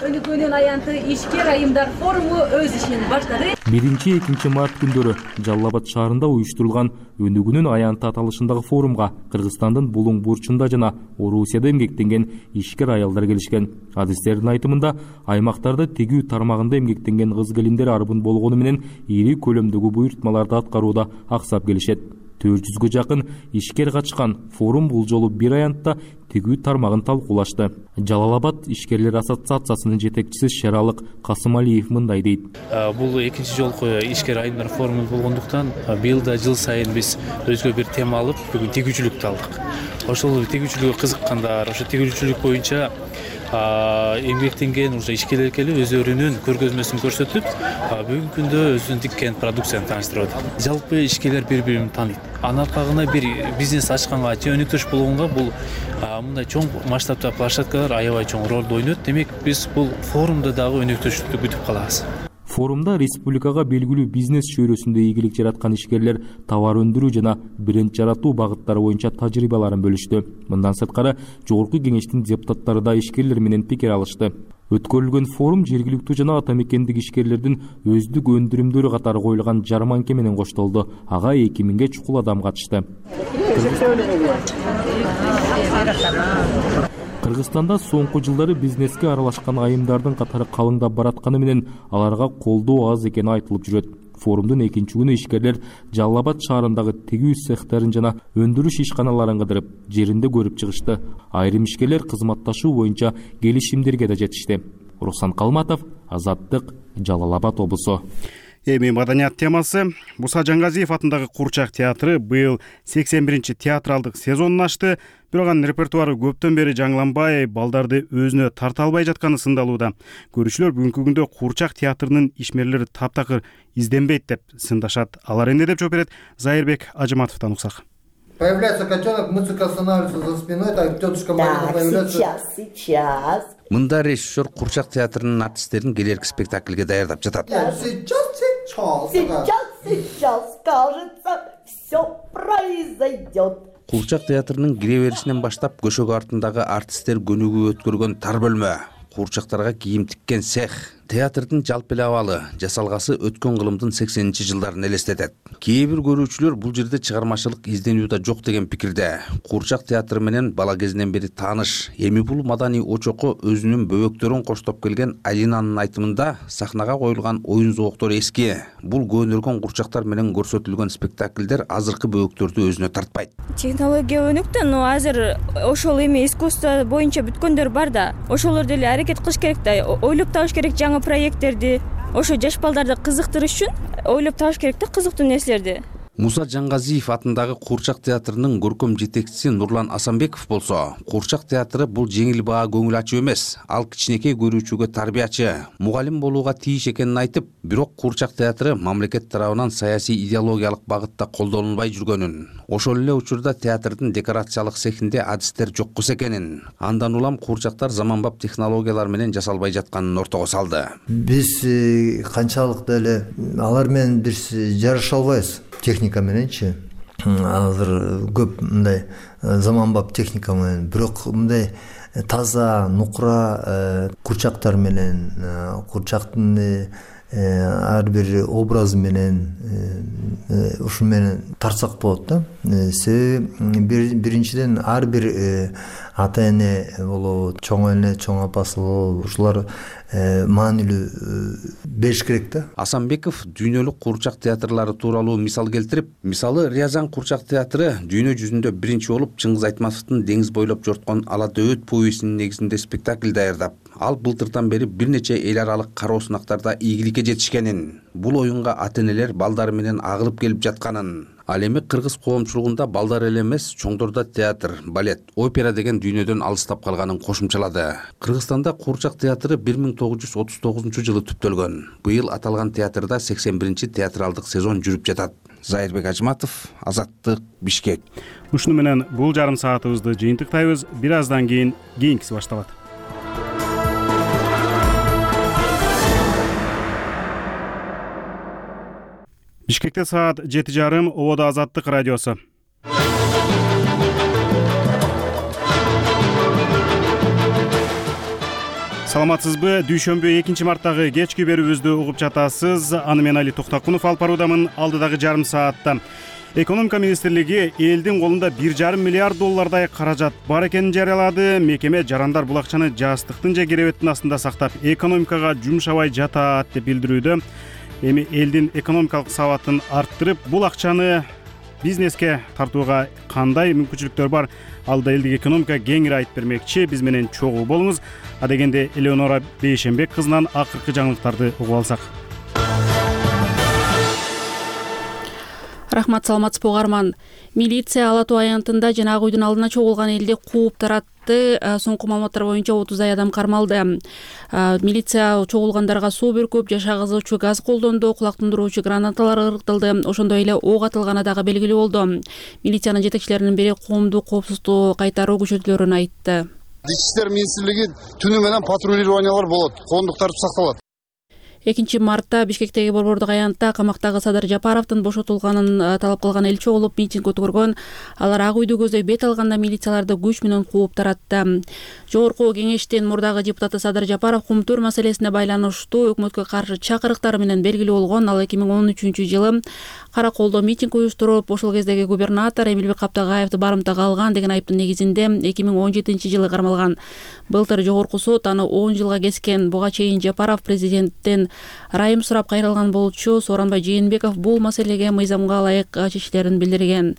Өнүкүүнүн аянты ишкер айымдар форуму өз ишин баштады. 1-2 март күндөрү Жалал Абад шаарында уюштурулган Өнүгүүнүн аянты аталышындагы форумга Кыргызстандын Булуң бурчунда жана Орусияда эмгектенген ишкер аялдар келишкен. Адистердин айтымында аймактарда тегүү тармагында эмгектенген кыз-келиндер арбын болгону менен ири көлөмдөгү буйртмаларды аткарууда аксап келишет. 400-гө жакын ишкер катышкан форум бул жолу бир аянтта тегүү тармагын талкуулашты. Жалал Абад ишкерлер ассоциациясынын жетекчиси Шералык Касымалиев мындай дейт. Бул экинчи жолку ишкер айымдар форуму болгондуктан быйыл да жыл сайын биз өзгө бир тема алып бүгүн тегүүчүлүктү алдык. Ошол тегүүчүлүккө кызыккандар, ошо тегүүчүлүк боюнча эмгектенген ишкерлер келип өздөрүнүн көргөзмөсүн көрсөтүп, бүгүнкү күндө өзүнүн тиккен продукцияны тааныштырып атат. Жалпы ишкерлер бири-бирин тааныйт. Анын аркагында бир бизнес ачканга же өнүктүрүш болгонго бул мындай чоң масштабта площадкалар аябай чоң ролду ойнойт. Демек биз бул форумда дагы өнүктүрүштү күтүп калабыз. Форумда республикага белгилүү бизнес чөйрөсүндө ийгилик жараткан ишкерлер товар өндүрүү жана бренд жаратуу багыттары боюнча тажрыйбаларын бөлүштү. Мындан сырткары Жогорку Кеңештин депутаттары да ишкерлер менен пикир алышты. Өткөрүлгөн форум жергиликтүү жана ата мекендик ишкерлердин өздүк өндүрүмдөрү катары коюлган жарманке менен коштолду. Ага 2000ге чукул адам катышты. Кыргызстанда соңку жылдары бизнеске аралашкан айымдардын катары калыңдап баратканы менен аларга колдоо аз экени айтылып жүрөт. Форумдун экинчи күнү ишкерлер Жалал Абад шаарындагы тегүү цехтерин жана өндүрүш ишканаларын кыдырып, жеринде көрүп чыгышты. Айрым ишкерлер кызматташуу боюнча келишимдерге да жетишти. Руслан Калматов, Азаттык, Жалал Абад облусу. Эми маданият темасы. Муса Жаңгазиев атындагы Курчак театры быйыл 81-чи театралдык сезонун ачты. Бирок анын репертуары көптөн бери жаңыланбай, балдарды өзүнө тарта албай жатканы сындалууда. Көрүүчүлөр бүгүнкү күндө Курчак театрынын ишмерлери таптакыр изденбейт деп сындашат. Алар эмне деп жооп берет? Зайырбек Ажыматовдон уксак. Появляется котенок, музыка останавливается за спиной, так тетушка Марина появляется. Сейчас. Мында режиссер Курчак театрынын артисттерин келерки спектакльге даярдап жатат. Сейчас, кажется, все произойдет. Курчак театрынын кире беришинен баштап көшөгө артындагы артисттер көнүгүү өткөргөн тар бөлмө, курчактарга кийим тиккен цех, театрдын жалпы эле абалы, жасалгасы өткөн кылымдын 80-чи жылдарын элестетет. Кээ бир көрүүчүлөр бул жерде чыгармачылык изденүү да жок деген пикирде. Курчак театры менен бала кезинен бери тааныш, эми бул маданий очокко өзүнүн бөбөктөрүн коштоп келген Алинанын айтымында сахнага коюлган оюн зооктору эски. Бул көнөргөн курчактар менен көрсөтүлгөн спектакльдер азыркы бөбөктөрдү өзүнө тартпайт. Технология өнүктү, но азыр ошол эми искусство боюнча бүткөндөр бар да. Ошолор деле аракет кылыш керек да, ойлоп табыш керек жаңы проекттерди. Ошо жаш балдарды кызыктырыш үчүн ойлоп табыш керек да кызыктуу нерселерди. Муса Жаңгазиев атындагы Курчак театрынын көркөм жетекчиси Нурлан Асанбеков болсо, Курчак театры бул жеңил баа көңүл ачуу эмес, ал кичинекей көрүүчүгө тарбиячы, мугалим болууга тийиш экенин айтып, бирок Курчак театры мамлекет тарабынан саясий идеологиялык багытта колдонулбай жүргөнүн, ошол эле учурда театрдын декорациялык цехинде адистер жоккус экенин, андан улам курчактар заманбап технологиялар менен жасалбай жатканын ортого салды. Биз канчалык деле алар менен биз жараша албайбыз. Техника мененчи азыр көп мындай заманбап техника менен, бирок мындай таза нукура курчактар менен, курчактын ар бир образы менен ушун менен тартсак болот да. Себеби биринчиден ар бир ата эне болобу, чоң эне, чоң апасы болобу, ушулар маанилүү бериш керек да. Асанбеков дүйнөлүк куурчак театрлары тууралуу мисал келтирип, мисалы Рязань куурчак театры дүйнө жүзүндө биринчи болуп Чыңгыз Айтматовдун Деңиз бойлоп жорткон Ала дөбөт повестинин негизинде спектакль даярдап, ал былтыртан бери бир нече эл аралык кароо сынактарда ийгиликке жетишкенин, бул оюнга ата-энелер балдары менен агылып келип жатканын, ал эми кыргыз коомчулугунда балдар эле эмес, чоңдорда театр, балет, опера деген дүйнөдөн алыстап калганын кошумчалады. Кыргызстанда куурчак театры 1939-жылы түптөлгөн. Быйыл аталган театрда 81-чи театралдык сезон жүрүп жатат. Зайырбек Ажматов, Азаттык, Бишкек. Ушуну менен бул жарым саатыбызды жыйынтыктайбыз. Бир аздан кийинкиси башталат. Бишкекте саат 7:30, Ободо Азаттык радиосу. Саламатсызбы? Дүйшөмбү 2-марттагы кечки берүүбүздү угуп жатасыз. Аны мен Али Токтакунов алып баруудамын. Алдыдагы жарым саатта Экономика министрлиги элдин колунда 1,5 миллиард доллардай каражат бар экенин жарыялады. Мекеме жарандар бул акчаны жастыктын же керебеттин астында сактап, экономикага жумшабай жатат деп билдирүүдө. Эми элдин экономикалык сабатын арттырып, бул акчаны бизнеске тартууга кандай мүмкүнчүлүктөр бар? Алда элдик экономика кеңири айтып бермекчи. Биз менен чогуу болуңуз. Адегенде Элеонора Бейшенбек кызынан акыркы жаңылыктарды угуп алсак. Рахмат, саламатсызбы угарман. Милиция Ала Тоо аянтында жана Ак үйдүн алдына чогулган элди кууп таратты. Соңку маалыматтар боюнча 30 адам кармалды. Милиция чогулгандарга суу бүркүп, жашагызуучу газ колдонду, кулак тундуруучу гранаталар ыргытылды. Ошондой эле ок атылганы дагы белгилүү болду. Милициянын жетекчилеринин бири коомдук коопсуздукту кайтаруу күчөтүүлөрүн айтты. Ички иштер министрлиги түнү менен патрулированиялар болот, коомдук тартип сакталат. 2-мартта Бишкектеги борбордук аянтта камактагы Садыр Жапаровдун бошотулганын талап кылган эл чогулуп митинг өткөргөн. Алар Ак үйдү көздөй бет алганда милицияларды күч менен кууп таратты. Жогорку кеңештин мурдагы депутаты Садыр Жапаров кумтөр маселесине байланыштуу өкмөткө каршы чакырыктары менен белгилүү болгон. Ал 2013-жылы Караколдо митинг уюштуруп, ошол кездеги губернатор Эмилбек Каптагаевди барымтага алган деген айыптын негизинде 2017-жылы кармалган. Былтыр жогорку сот аны 10 жылга кескен. Буга чейин Жапаров президенттен райым сурап кайрылган болчу. Сооронбай Жээнбеков бул маселеге мыйзамга ылайык чечиштерин билдирген.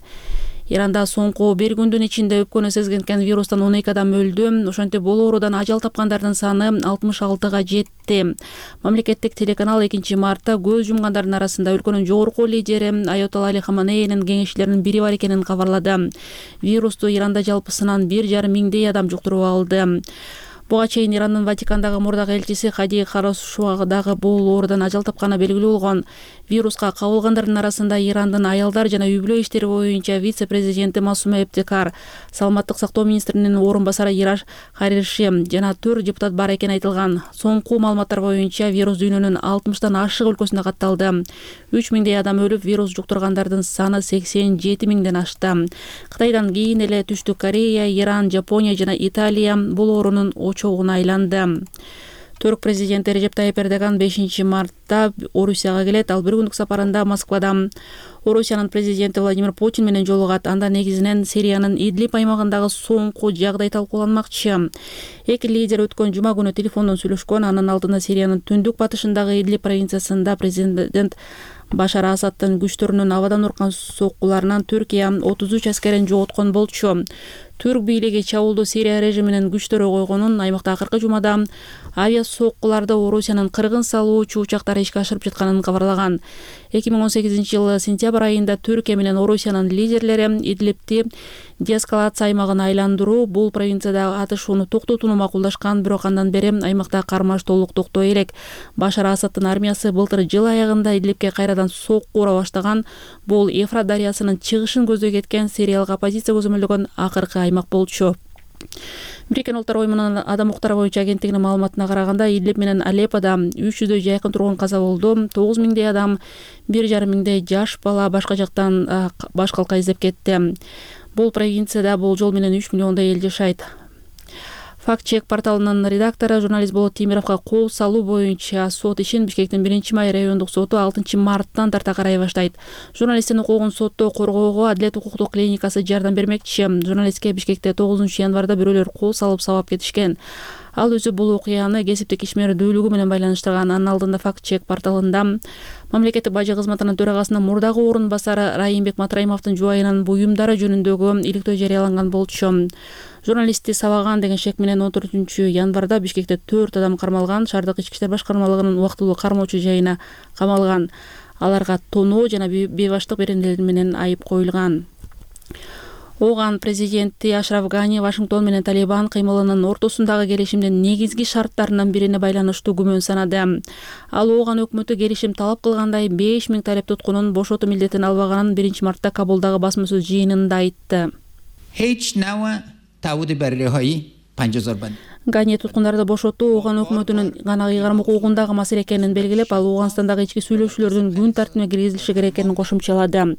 Иранда соңку бир күндүн ичинде өпкөнү сезген вирустан 12 адам өлдү. Ошентип бул оорудан ажал тапкандардын саны 66-га жетти. Мамлекеттик телеканал 2-мартта көз жумгандардын арасында өлкөнүн жогорку лидери Аятолла Али Хаменеинин кеңешчилеринин бири бар экенин кабарлады. Вирусту Иранда жалпысынан 1,5 миңдей адам жуктуруп алды. Буга чейин Ирандын Ватикандагы мурдагы элчиси Хади Харосшуа дагы бул оорудан ажал тапканы белгилүү болгон. Вируска кабылгандардын арасында Ирандын аялдар жана үй-бүлө иштери боюнча вице-президенти Масума Эптекар, саламаттык сактоо министринин орун басары Ираш Хариши жана 4 депутат бар экени айтылган. Соңку маалыматтар боюнча вирус дүйнөнүн 60тан ашык өлкөсүндө катталды. 3 миңдей адам өлүп, вирус жуктургандардын саны 87 миңден ашты. Кытайдан кийин эле Түштүк Корея, Иран, Жапония жана Италия бул оорунун очогуна айланды. Түрк президенти Режеп Тайип Эрдоган 5-мартта Орусияга келет. Ал бир күндүк сапарында Москвада Орусиянын президенти Владимир Путин менен жолугат. Анда негизинен Сириянын Идлиб аймагындагы соңку жагдай талкууланмакчы. Эки лидер өткөн жума күнү телефондон сүйлөшкөн. Анын алдында Сириянын түндүк батышындагы Идлиб провинциясында президент Башар Асаддын күчтөрүнүн абадан уркан соккуларынан Түркия 33 аскерин жоготкон болчу. Түрк бийлиги чабуулду Сирия режиминин күчтөрү койгонун, аймакта акыркы жумада авиа соккуларды Орусиянын кыргын салуучу учактары ишке ашырып жатканын кабарлаган. 2018-жылы сентябрь айында Түркия менен Орусиянын лидерлери Идлибти деэскалация аймагына айландыруу, бул провинциядагы атышууну токтотууну макулдашкан, бирок андан бери аймакта кармаш толук токтой элек. Башар Асаддын армиясы былтыр жыл аягында Идлибке кайрадан сокку ура баштаган. Бул Ефрат дарыясынын чыгышын көздөй кеткен сириялык оппозиция көзөмөлдөгөн акыркы аймак болчу. Бириккен Улуттар Уюмунун адам укуктары боюнча агенттигинин маалыматына караганда, Идлиб менен Алеппода 300дөй жайкын тургун каза болду. 9 миңдей адам, 1,5 миңдей жаш бала башка жактан баш калка издеп кетти. Бул провинцияда бул жол менен 3 миллиондой эл жашайт. Факт чек порталынын редактору журналист Болот Темировго кол салуу боюнча сот ишин Бишкектин 1-май райондук соту 6 марттан тарта карай баштайт. Журналисттин укугун соттоо коргоого Адилет укуктук клиникасы жардам бермекчи. Журналистке Бишкекте 9 январда бирөөлөр кол салып сабап кетишкен. Ал өзү бул окуяны кесиптик ишмердүүлүгү менен байланыштырган. Анын алдында Факт чек порталында мамлекеттик бажы кызматынын төрагасынын мурдагы орун басары Райымбек Матраимовдун жубайынын буюмдары жөнүндөгү иликтөө жарыяланган болчу. Журналистти сабаган деген шек менен 14 январда Бишкекте 4 адам кармалган. Шаардык ички иштер башкармалыгынын убактылуу кармоочу жайына камалган. Аларга тоноо жана бейбаштык беренелери менен айып коюлган. Оган президенти Ашраф Гани Вашингтон менен Талибан кыймылынын ортосундагы келишимдин негизги шарттарынын бирине байланыштуу күмөн санады. Ал Оган өкмөтү келишим талап кылгандай 5000 талеп туткунун бошотуу милдетин албаганын 1-мартта Кабулдагы басма сөз жыйынында айтты. Гани туткундарды бошотуу Оган өкмөтүнүн гана ыйгарым укугундагы маселе экенин белгилеп, ал Оганстандагы ички сүйлөшүүлөрдүн күн тартибине киргизилиши керек экенин кошумчалады.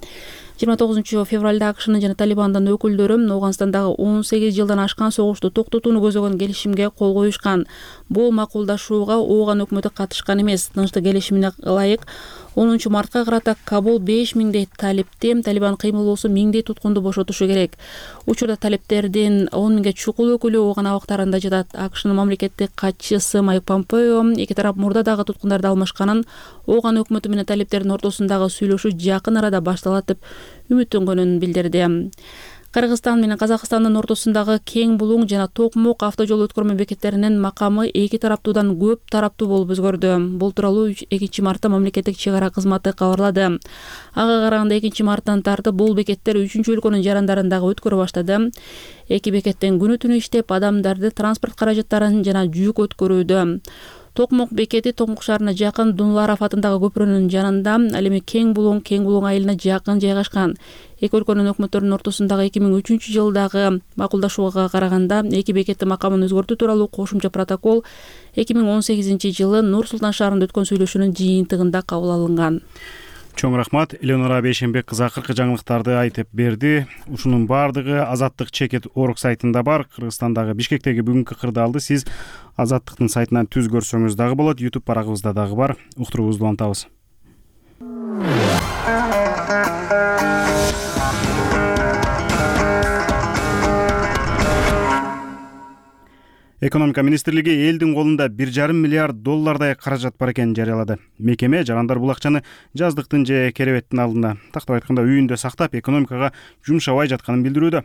29 февралда АКШнын жана Талибандын өкүлдөрү Оганстандагы 18 жылдан ашкан согушту токтотууну көзөгөн келишимге кол коюшкан. Бул макулдашууга Оган өкмөтү катышкан эмес. Тынчтык келишимине ылайык 10 мартка карата Кабул 5000дей талипти, Талибан кыймылоосу 1000дей туткунду бошотушу керек. Учурда талиптердин 10 000ге чукул өкүлү Оган абактарында жатат. АКШнын мамлекеттик катчысы Майк Помпео эки тарап мурда дагы туткундарды алмашканын, Оган өкмөтү менен талиптердин ортосундагы сүйлөшүү жакын арада башталат деп үмүттөнгөнүн билдирди. Кыргызстан менен Казакстандын ортосундагы Кең Булуң жана Токмок автожол өткөрмө бекеттеринин макамы эки тараптуудан көп тараптуу болуп өзгөрдү. Бул тууралуу 2 мартта мамлекеттик чек ара кызматы кабарлады. Ага караганда 2 марттан тартып бул бекеттер 3 өлкөнүн жарандарындагы өткөрө баштады. Эки бекеттен күнү түнү иштеп, адамдарды транспорт каражаттарын жана жүк өткөрүүдө. Токмок бекети Токмок шаарына жакын Дунларов атындагы көпүрөнүн жанында, ал эми Кең Булуң айылына жакын жайгашкан. Эки өлкөнүн өкмөттөрүнүн ортосундагы 2003 жылдагы макулдашууга караганда эки бекеттин макамын өзгөртүү тууралуу кошумча протокол 2018 жылы Нур Султан шаарында өткөн сүйлөшүүнүн жыйынтыгында кабыл алынган. Чоң рахмат. Элеонора Бейшенбек кызы акыркы жаңылыктарды айтып берди. Ушунун баардыгы Азаттык чекет орг сайтында бар. Кыргызстандагы Бишкектеги бүгүнкү кырдаалды сиз Азаттыктын сайтынан түз көрсөңүз дагы болот. YouTube барагыбызда дагы бар. Уктуруубузду улантабыз. Экономика министрлиги элдин колунда 1,5 миллиард доллардай каражат бар экенин жарыялады. Мекеме жарандар бул акчаны жаздыктын же керебеттин алдында, тактап айтканда үйүндө сактап, экономикага жумшабай жатканын билдирүүдө.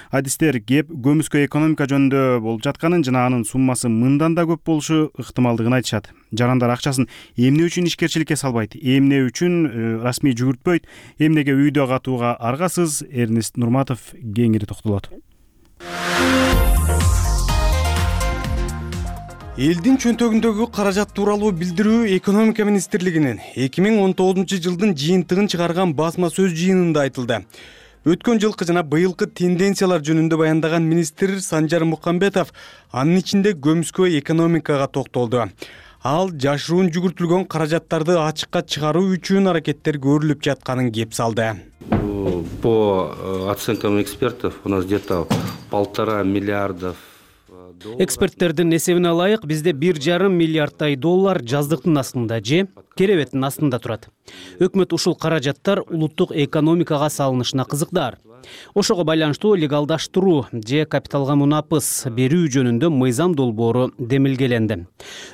Адистер кеп көмүскө экономика жөнүндө болуп жатканын жана анын суммасы мындан да көп болушу ыктымалдыгын айтышат. Жарандар акчасын эмне үчүн ишкерчиликке салбайт, эмне үчүн расмий жүгүртпөйт, эмнеге үйдө катууга аргасыз? Эрнест Нурматов кеңири токтолот. Элдин чөнтөгүндөгү каражат тууралуу билдирүү экономика министрлигинин 2019 жылдын жыйынтыгын чыгарган басма сөз жыйынында айтылды. Өткөн жылкы жана быйылкы тенденциялар жөнүндө баяндаган министр Санжар Мукамбетов анын ичинде көмүскө экономикага токтолду. Ал жашыруун жүгүртүлгөн каражаттарды ачыкка чыгаруу үчүн аракеттер көрүлүп жатканын кеп салды. По оценкам экспертов у нас где-то 1,5 миллиарда. Эксперттердин эсебине ылайык бизде 1,5 миллиарддай доллар жаздыктын астында же керебеттин астында турат. Өкмөт ушул каражаттар улуттук экономикага салынышына кызыктар. Ошого байланыштуу легалдаштыруу же капиталга мунапыс берүү жөнүндө мыйзам долбоору демилгеленди.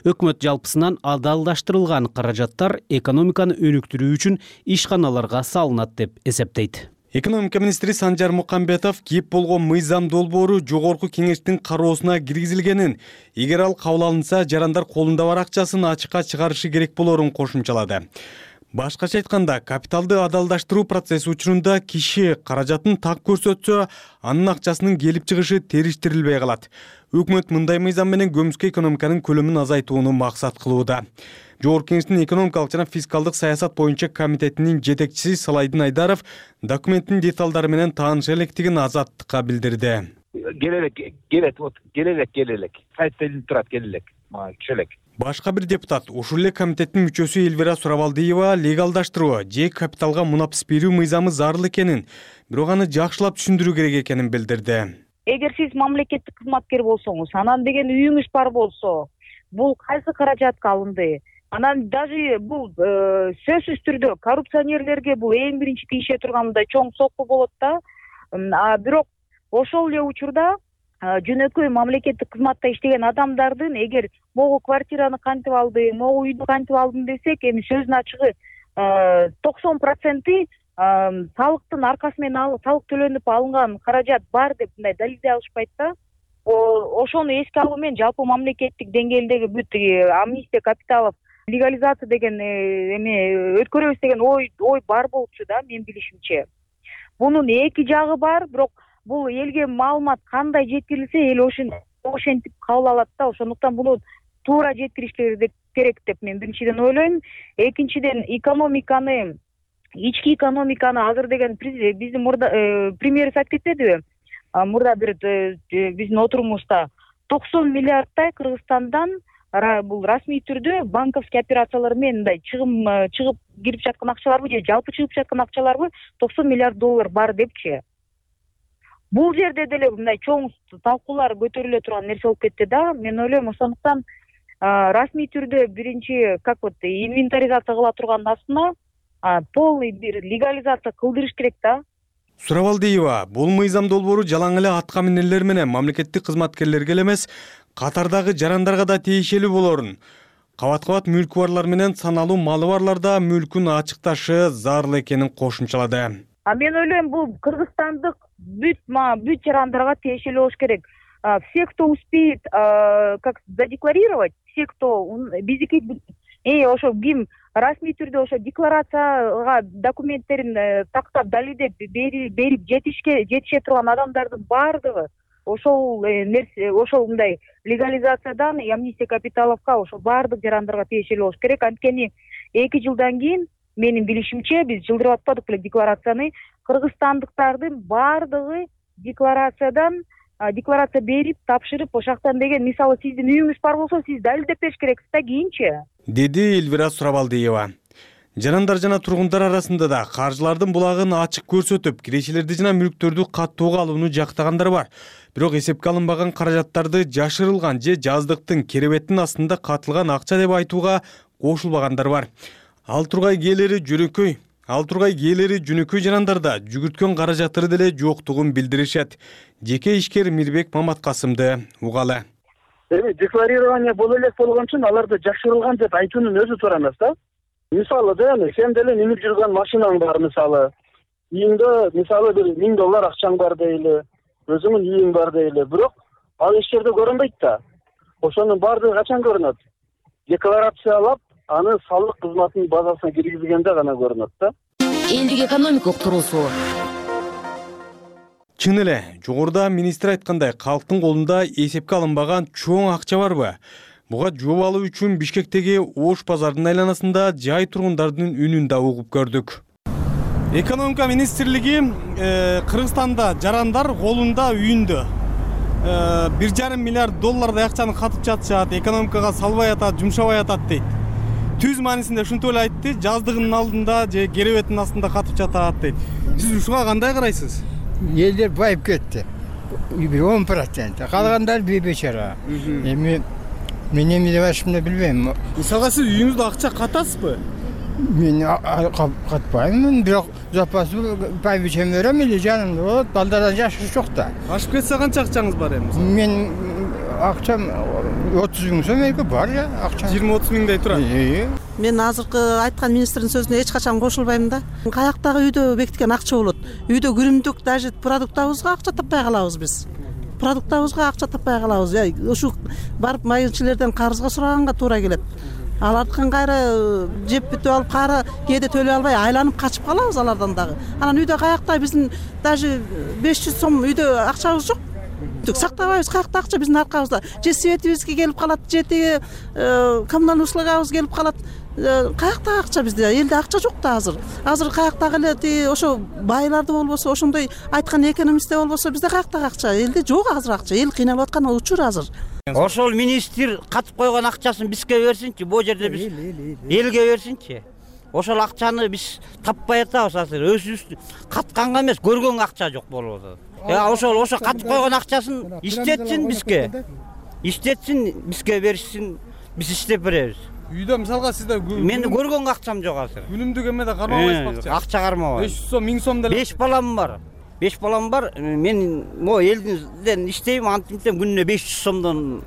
Өкмөт жалпысынан адалдаштырылган каражаттар экономиканы өнүктүрүү үчүн ишканаларга салынат деп эсептейт. Экономика министри Санжар Мукамбетов кеп болгон мыйзам долбоору жогорку кеңештин кароосуна киргизилгенин, эгер ал кабыл алынса, жарандар колунда бар акчасын ачыкка чыгарышы керек болорун кошумчалады. Башкача айтканда, капиталды адалдаштыруу процесси учурунда киши каражатын так көрсөтсө, анын акчасынын келип чыгышы териштирилбей калат. Өкмөт мындай мыйзам менен көмүскө экономиканын көлөмүн азайтууну максат кылууда. Жогорку кеңештин экономикалык жана фискалдык саясат боюнча комитетинин жетекчиси Салайдин Айдаров документтин деталдары менен тааныша электигин Азаттыкка билдирди. Келелек. Сайтта турат келелек. Чөлек. Башка бир депутат, ушул эле комитеттин мүчөсү Элвира Сурабалдиева легалдаштыруу же капиталга мунапыс берүү мыйзамы зарыл экенин, бирок аны жакшылап түшүндүрүү керек экенин билдирди. эгер сиз мамлекеттик кызматкер болсоңуз, анан деген үйүңүз бар болсо, бул кайсы каражатка алынды? Анан даже бул сөзсүз түрдө коррупционерлерге бул эң биринчи тийише турган мындай чоң сокку болот да. Бирок ошол эле учурда жөнөкөй мамлекеттик кызматта иштеген адамдардын эгер могу квартираны кантип алды, могу үйдү кантип алдым десек, эми сөздүн ачыгы 90% салыктын аркасы менен салык төлөнүп алынган каражат бар деп мындай далилдей алышпайт да. Ошону эске алуу менен жалпы мамлекеттик деңгээлдеги бүт амнистия капиталов легализация деген эме өткөрөбүз деген ой бар болчу да, мен билишимче. Бунун эки жагы бар, бирок бул элге маалымат кандай жеткирилсе, эл ошентип кабыл алат да. Ошондуктан буну туура жеткиришleri керек деп мен биринчиден ойлойм. Экинчиден экономиканы, ички экономиканы азыр деген биздин мурда премьер айтып кетпедиби? Мурда бир биздин отурумубузда 90 миллиардтай Кыргызстандан бул расмий түрдө банковский операциялар менен мындай чыгып кирип жаткан акчаларбы же жалпы чыгып жаткан акчаларбы 90 миллиард доллар бар депчи. Бул жерде деле мындай чоң талкуулар көтөрүлө турган нерсе болуп кетти да. Мен ойлойм, ошондуктан расмий түрдө биринчи инвентаризация кыла турган астына полный бир легализация кылдырыш керек да. Сурабалдиева, бул мыйзам долбоору жалаң эле атка минерлер менен мамлекеттик кызматкерлерге эле катардагы жарандарга да тиешелүү болорун, кабат-кабат мүлкү барлар менен саналуу малы барларда мүлкүн ачыкташы зарыл экенин кошумчалады. Мен ойлойм, бул кыргызстандык бүт жарандарга тиешелүү болуш керек. Все, кто успеет задекларировать, все, кто биздики ошо ким расмий түрдө ошо декларацияга документтерин тактап далилдеп берип жетише турган адамдардын баардыгы ошол нерсе, ошол мындай легализациядан амнистия капиталовка ошол баардык жарандарга тиешелүү болуш керек. Анткени 2 жылдан кийин менин билишимче биз жылдырып атпадык беле декларацияны, кыргызстандыктардын баардыгы декларация берип, тапшырып, ошактан деген мисалы сиздин үйүңүз бар болсо, сиз далилдеп бериш керексиз да кийинчи, деди Элвира Сурабалдиева. Жарандар жана тургундар арасында да каржылардын булагын ачык көрсөтүп, кирешелерди жана мүлктөрдү каттууга алууну жактагандар бар. Бирок эсепке алынбаган каражаттарды жашырылган же жаздыктын керебеттин астында катылган акча деп айтууга кошулбагандар бар. Ал тургай кээлери жөнөкөй жарандарда жүгүрткөн каражаттары деле жоктугун билдиришет. Жеке ишкер Мирбек Маматкасымды угалы. Эми декларирование боло элек болгон үчүн аларды жашырылган деп айтуунун өзү туура эмес да. Мисалы сен деле минип жүргөн машинаң бар, мисалы. Үйүңдө мисалы бир $1000 акчаң бар дейли, өзүңүн үйүң бар дейли. Бирок ал эч жерде көрүнбөйт да. Ошонун баардыгы качан көрүнөт? Декларациялап, аны салык кызматынын базасына киргизгенде гана көрүнөт да. Элдик экономикалык туруусу. Чын эле, жогоруда министр айткандай, калктын колунда эсепке алынбаган чоң акча барбы? Буга жооп алуу үчүн Бишкектеги Ош базарынын айланасында жай тургундардын үнүн да угуп көрдүк. Экономика министрлиги Кыргызстанда жарандар колунда үйүндө $1,5 миллиард акчаны катып жатышат, экономикага салбай атат, жумшабай атат дейт. Түз маанисинде ушинтип эле айтты, жаздыгынын алдында же керебеттин астында катып жатат дейт. Сиз ушуга кандай карайсыз? Элдер байып кетти. 10%. Калгандары бейбечара. Эми мен эме деп айтышымды билбейм. Мисалга сиз үйүңүздө акча катасызбы? Мен катпайм, бирок запас байбичем берем эле жанымда болот, балдардан жашы жок да. Ашып кетсе канча акчаңыз бар эми? Мен акчам 30 000 сом бар я, акча. 20-30 миңдей турат. Мен азыркы айткан министрдин сөзүнө эч качан кошулбайм да. Каяктагы үйдө бекиткен акча болот? Үйдө күнүмдүк даже продуктабызга акча таппай калабыз биз. Продуктабызга акча таппай калабыз. Ушу барып майылчылардан карызга сураганга туура келет. Алардын кайра жеп бүтүп алып, кайра кээде төлөй албай айланып качып калабыз алардан дагы. Анан үйдө каякта биздин даже 500 сом үйдө акчабыз жок. Сактабайбыз, каякта акча биздин аркабызда. Же светибизге келип калат, же тиги коммуналдык услугабыз келип калат. Каякта акча бизде? Элде акча жок да азыр. Азыр каяктагы эле тиги ошо байларды болбосо, ошондой айткан экономистте болбосо bizde каяктагы акча? Элде жок азыр акча. Эл кыйналып аткан учур азыр. Ошол министр катып койгон акчасын бизге берсинчи, бул жерде биз элге берсинчи. Ошол акчаны биз таппай атабыз азыр. Өзүбүз катканга эмес, көргөнгө акча жок болуп атат. ошо катып койгон акчасын иштетсин бизге беришсин, биз иштеп беребиз. Үйдө мисалга сизде Мен көргөн акчам жок азыр. Күнүмдүк эмеде кармабайсызбы акча? Акча кармабайм. 500 сом, 1000 сом деле. 5 балам бар. Мен могу элден иштейм, антиптем күнүнө 500 сомдон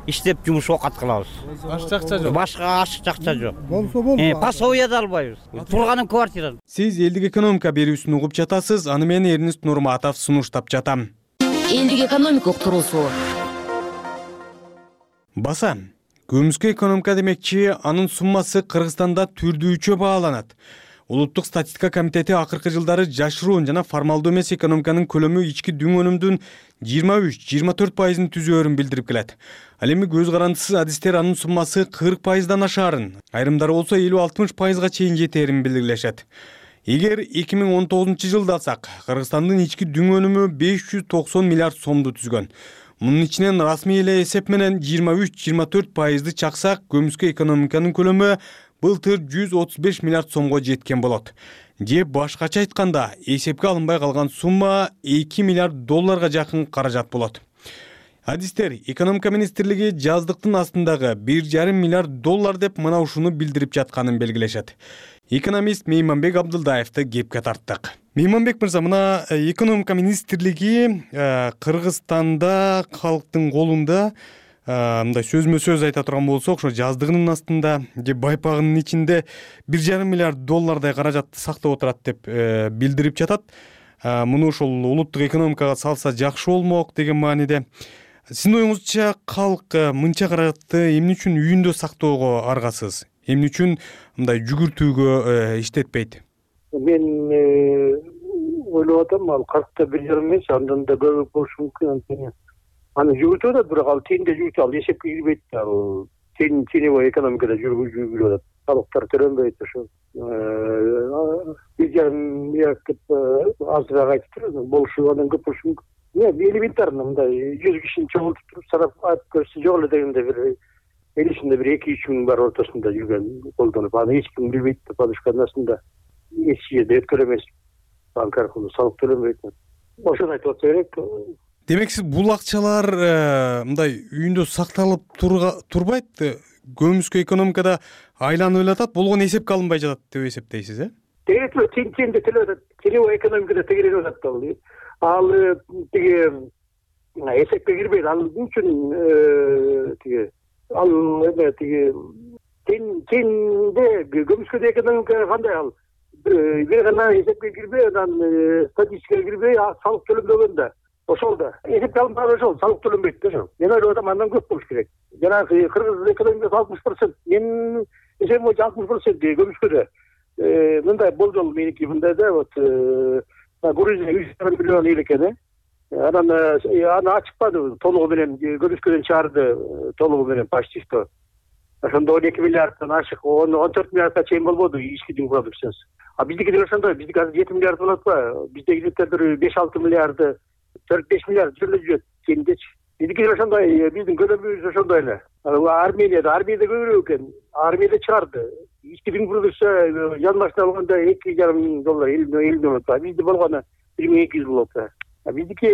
иштеп жумуш окат кылабыз. Башка акча жок. Башка акча жок. Пособие да албайбыз. Турганым квартирада. Сиз элдик экономика берүүсүн угуп жатасыз. Аны мен Эрнист Нурматов сунуштап жатам. Элдик экономика уктуруусу. Баса, көмүскө экономика демекчи, анын суммасы Кыргызстанда түрдүүчө бааланат. Улуттук статистика комитети акыркы жылдары жашыруун жана формалдуу эмес экономиканын көлөмү ички дүң өнүмдүн 23-24% түзөөрүн билдирип келет. Ал эми көз карандысыз адистер анын суммасы 40%дан ашаарын, айрымдары болсо 50-60%га чейин жетээрин билдиришет. Эгер 2019 жылды алсак, Кыргызстандын ички дүң өнүмү 590 миллиард сомду түзгөн. Мунун ичинен расмий эле эсеп менен 23-24%ды чаксак, көмүскө экономиканын көлөмү былтыр 135 миллиард сомго жеткен болот. Же башкача айтканда, эсепке алынбай калган сумма 2 миллиард долларга жакын каражат болот. Адистер экономика министрлиги жаздыктын астындагы 1,5 миллиард доллар деп мына ушуну билдирип жатканын белгилешет. Экономист Мейманбек Абдылдаевди кепке тарттык. Мейманбек мырза, мына экономика министрлиги Кыргызстанда калктын колунда мындай сөзмө сөз айта турган болсок, ошо жаздыгынын астында же байпагынын ичинде 1,5 миллиард доллардай каражатты сактап отурат деп билдирип жатат. Муну ошол улуттук экономикага салса жакшы болмок деген мааниде. Сиздин оюңузча калк мынча каражатты эмне үчүн үйүндө сактоого аргасыз? Эмне үчүн мындай жүгүртүүгө иштетпейт? Мен ойлоп атам, ал калкта 1,5 эмес, андан да көп болушу мүмкүн. Аны жүгүртүп атат, бирок ал тиинде жүгүртүп, ал эсепке кирбейт. Ал тиини экономикада жүрүп атат. Салыктар төлөнбөйт ошо. 1,5 миллиард деп азыраак айтып туруп, болушу андан көп болушу мүмкүн. Элементарно мындай 100 кишини чогултуп туруп сарап айтып көрсө жок эле дегенде бир элисинде бир 2-3 миң бар ортосунда жүргөн колдонуп, аны эч ким билбейт деп подушканасында эч жерде өткөрө эмес. Банк аркылуу салык төлөнбөйт. Ошону айтып атса керек. Демек сиз бул акчалар мындай үйүндө сакталып турбайт, көмүскө экономикада айланып эле атат, болгон эсепке алынбай жатат деп эсептейсиз, Тегерелип атат, тиги экономикада тегерелип атат. Ал тиги эсепке кирбейт. Ал үчүн тиги ал эме тиги тиинде көмүскө экономика кандай ал бир гана эсепке кирбей, анан статистикага кирбей, салык төлөнбөгөндө ошол да эсепке алынбаган ошол салык төлөнбөйт да ошол. Мен ойлоп атам, андан көп болуш керек. Жанагы Кыргыз экономикасы 60%, менин эсебим боюнча 60% көмүскөдө. Мындай болжол меники мындай да, вот Грузия 100 миллион эл экен. Аны ачыкпады толугу менен, көмүскөдөн чыгарды толугу менен почти что. Ошондо 12 миллиарддан ашык, 14 миллиардга чейин болбоду ички дүң продукциясы. Биздики ошондой, биздики азыр 7 миллиард болот го. Биздеги бир 5-6 миллиарды, 4-5 миллиард жүрөт кемдечи. Биздики ошондой, биздин көлөмүбүз ошондой эле. Армияда көбүрөөк экен. Армияда чыгарды. Ички дүң продукция жанбашына алганда 2,5 миң доллар, 50 болот. Бизде болгону 1200 болот. Биздики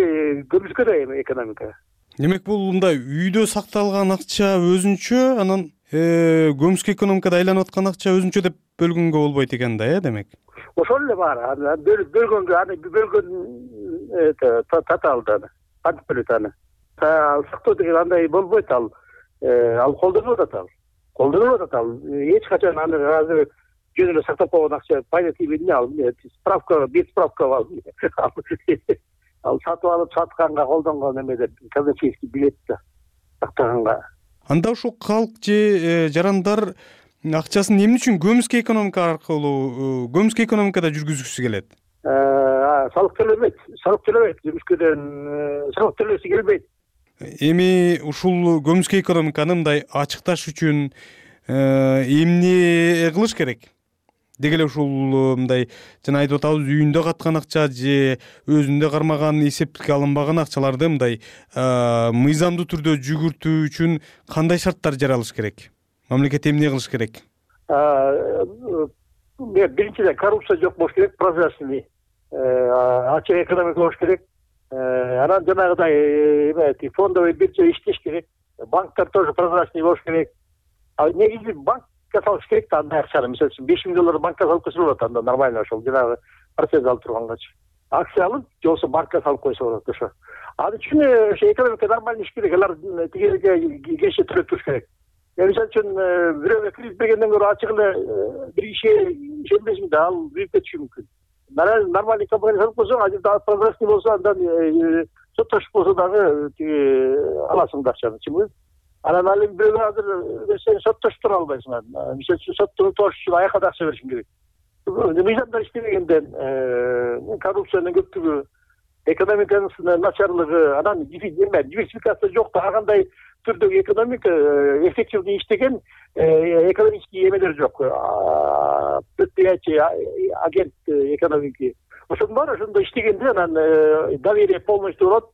көмүскөдө экономика. Демек бул мындай үйдө сакталган акча өзүнчө, анан көмүскө экономикада айланып аткан акча өзүнчө деп бөлгөнгө болбойт экен да, демек. Ошол эле бар. Бөлгөн таталды аны. Кантип бөлөт аны? Сактоо деген андай болбойт ал. Ал колдонулуп атат. Эч качан аны азыр жөн эле сактап койгон акча пайда тийбейт ал. Справка, бетсправка бар. Ал сатып алып сатканга колдонгон эмеде казначейский билет да сактаганга. Анда ушул калк же жарандар акчасын эмне үчүн көмүскө экономика аркылуу көмүскө экономикада жүргүзгүсү келет? Салык төлөбөйт. Көмүскөдөн салык төлөсү келбейт. Эми ушул көмүскө экономиканы мындай ачыкташ үчүн эмне кылыш керек? Деги эле ушул мындай жана айтып атабыз, үйүндө каткан акча же өзүндө кармаган, эсепке алынбаган акчаларды мындай мыйзамдуу түрдө жүгүртүү үчүн кандай шарттар жаралыш керек? Мамлекет эмне кылыш керек? Биринчиден коррупция жок болуш керек, прозрачный, ачык экономика болуш керек. Анан жанагыдай фондовый биржа иштеш керек. Банктар тоже прозрачный болуш керек. А негизи банкка салыш керек да андай акчаны. Мисалы үчүн $5,000 банкка салып койсо болот, анда нормально ошол жанагы процент алып тургангачы. Акция алып, же болбосо банкка салып койсо болот ошо. Ал үчүн ошо экономика нормально иш керек. Алар тигилерге кеше төлөп туруш керек. Мисалы үчүн бирөөгө кредит бергенден көрө ачык эле бир кишиге ишенбесин да, ал büyük кетиши мүмкүн. Нормальный компания салып койсо, азыр прозрачный болсо, андан соттошуп болсо дагы тиги аласың акчаны, чынбы? Анан ал эми бирөөгө азыр сен соттошуп тура албайсың. Мисалы үчүн сотту утуш үчүн аяка да акча беришиң керек. Мыйзамдар иштебегенден, коррупциянын көптүгү, экономиканын начарлыгы, анан диверсификация жок да, ар кандай түрдөгү экономика эффективный иштеген экономический эмелер жок. Предприятие, агент экономики. Ошонун баары ошондо иштегенде анан доверие полностью болот.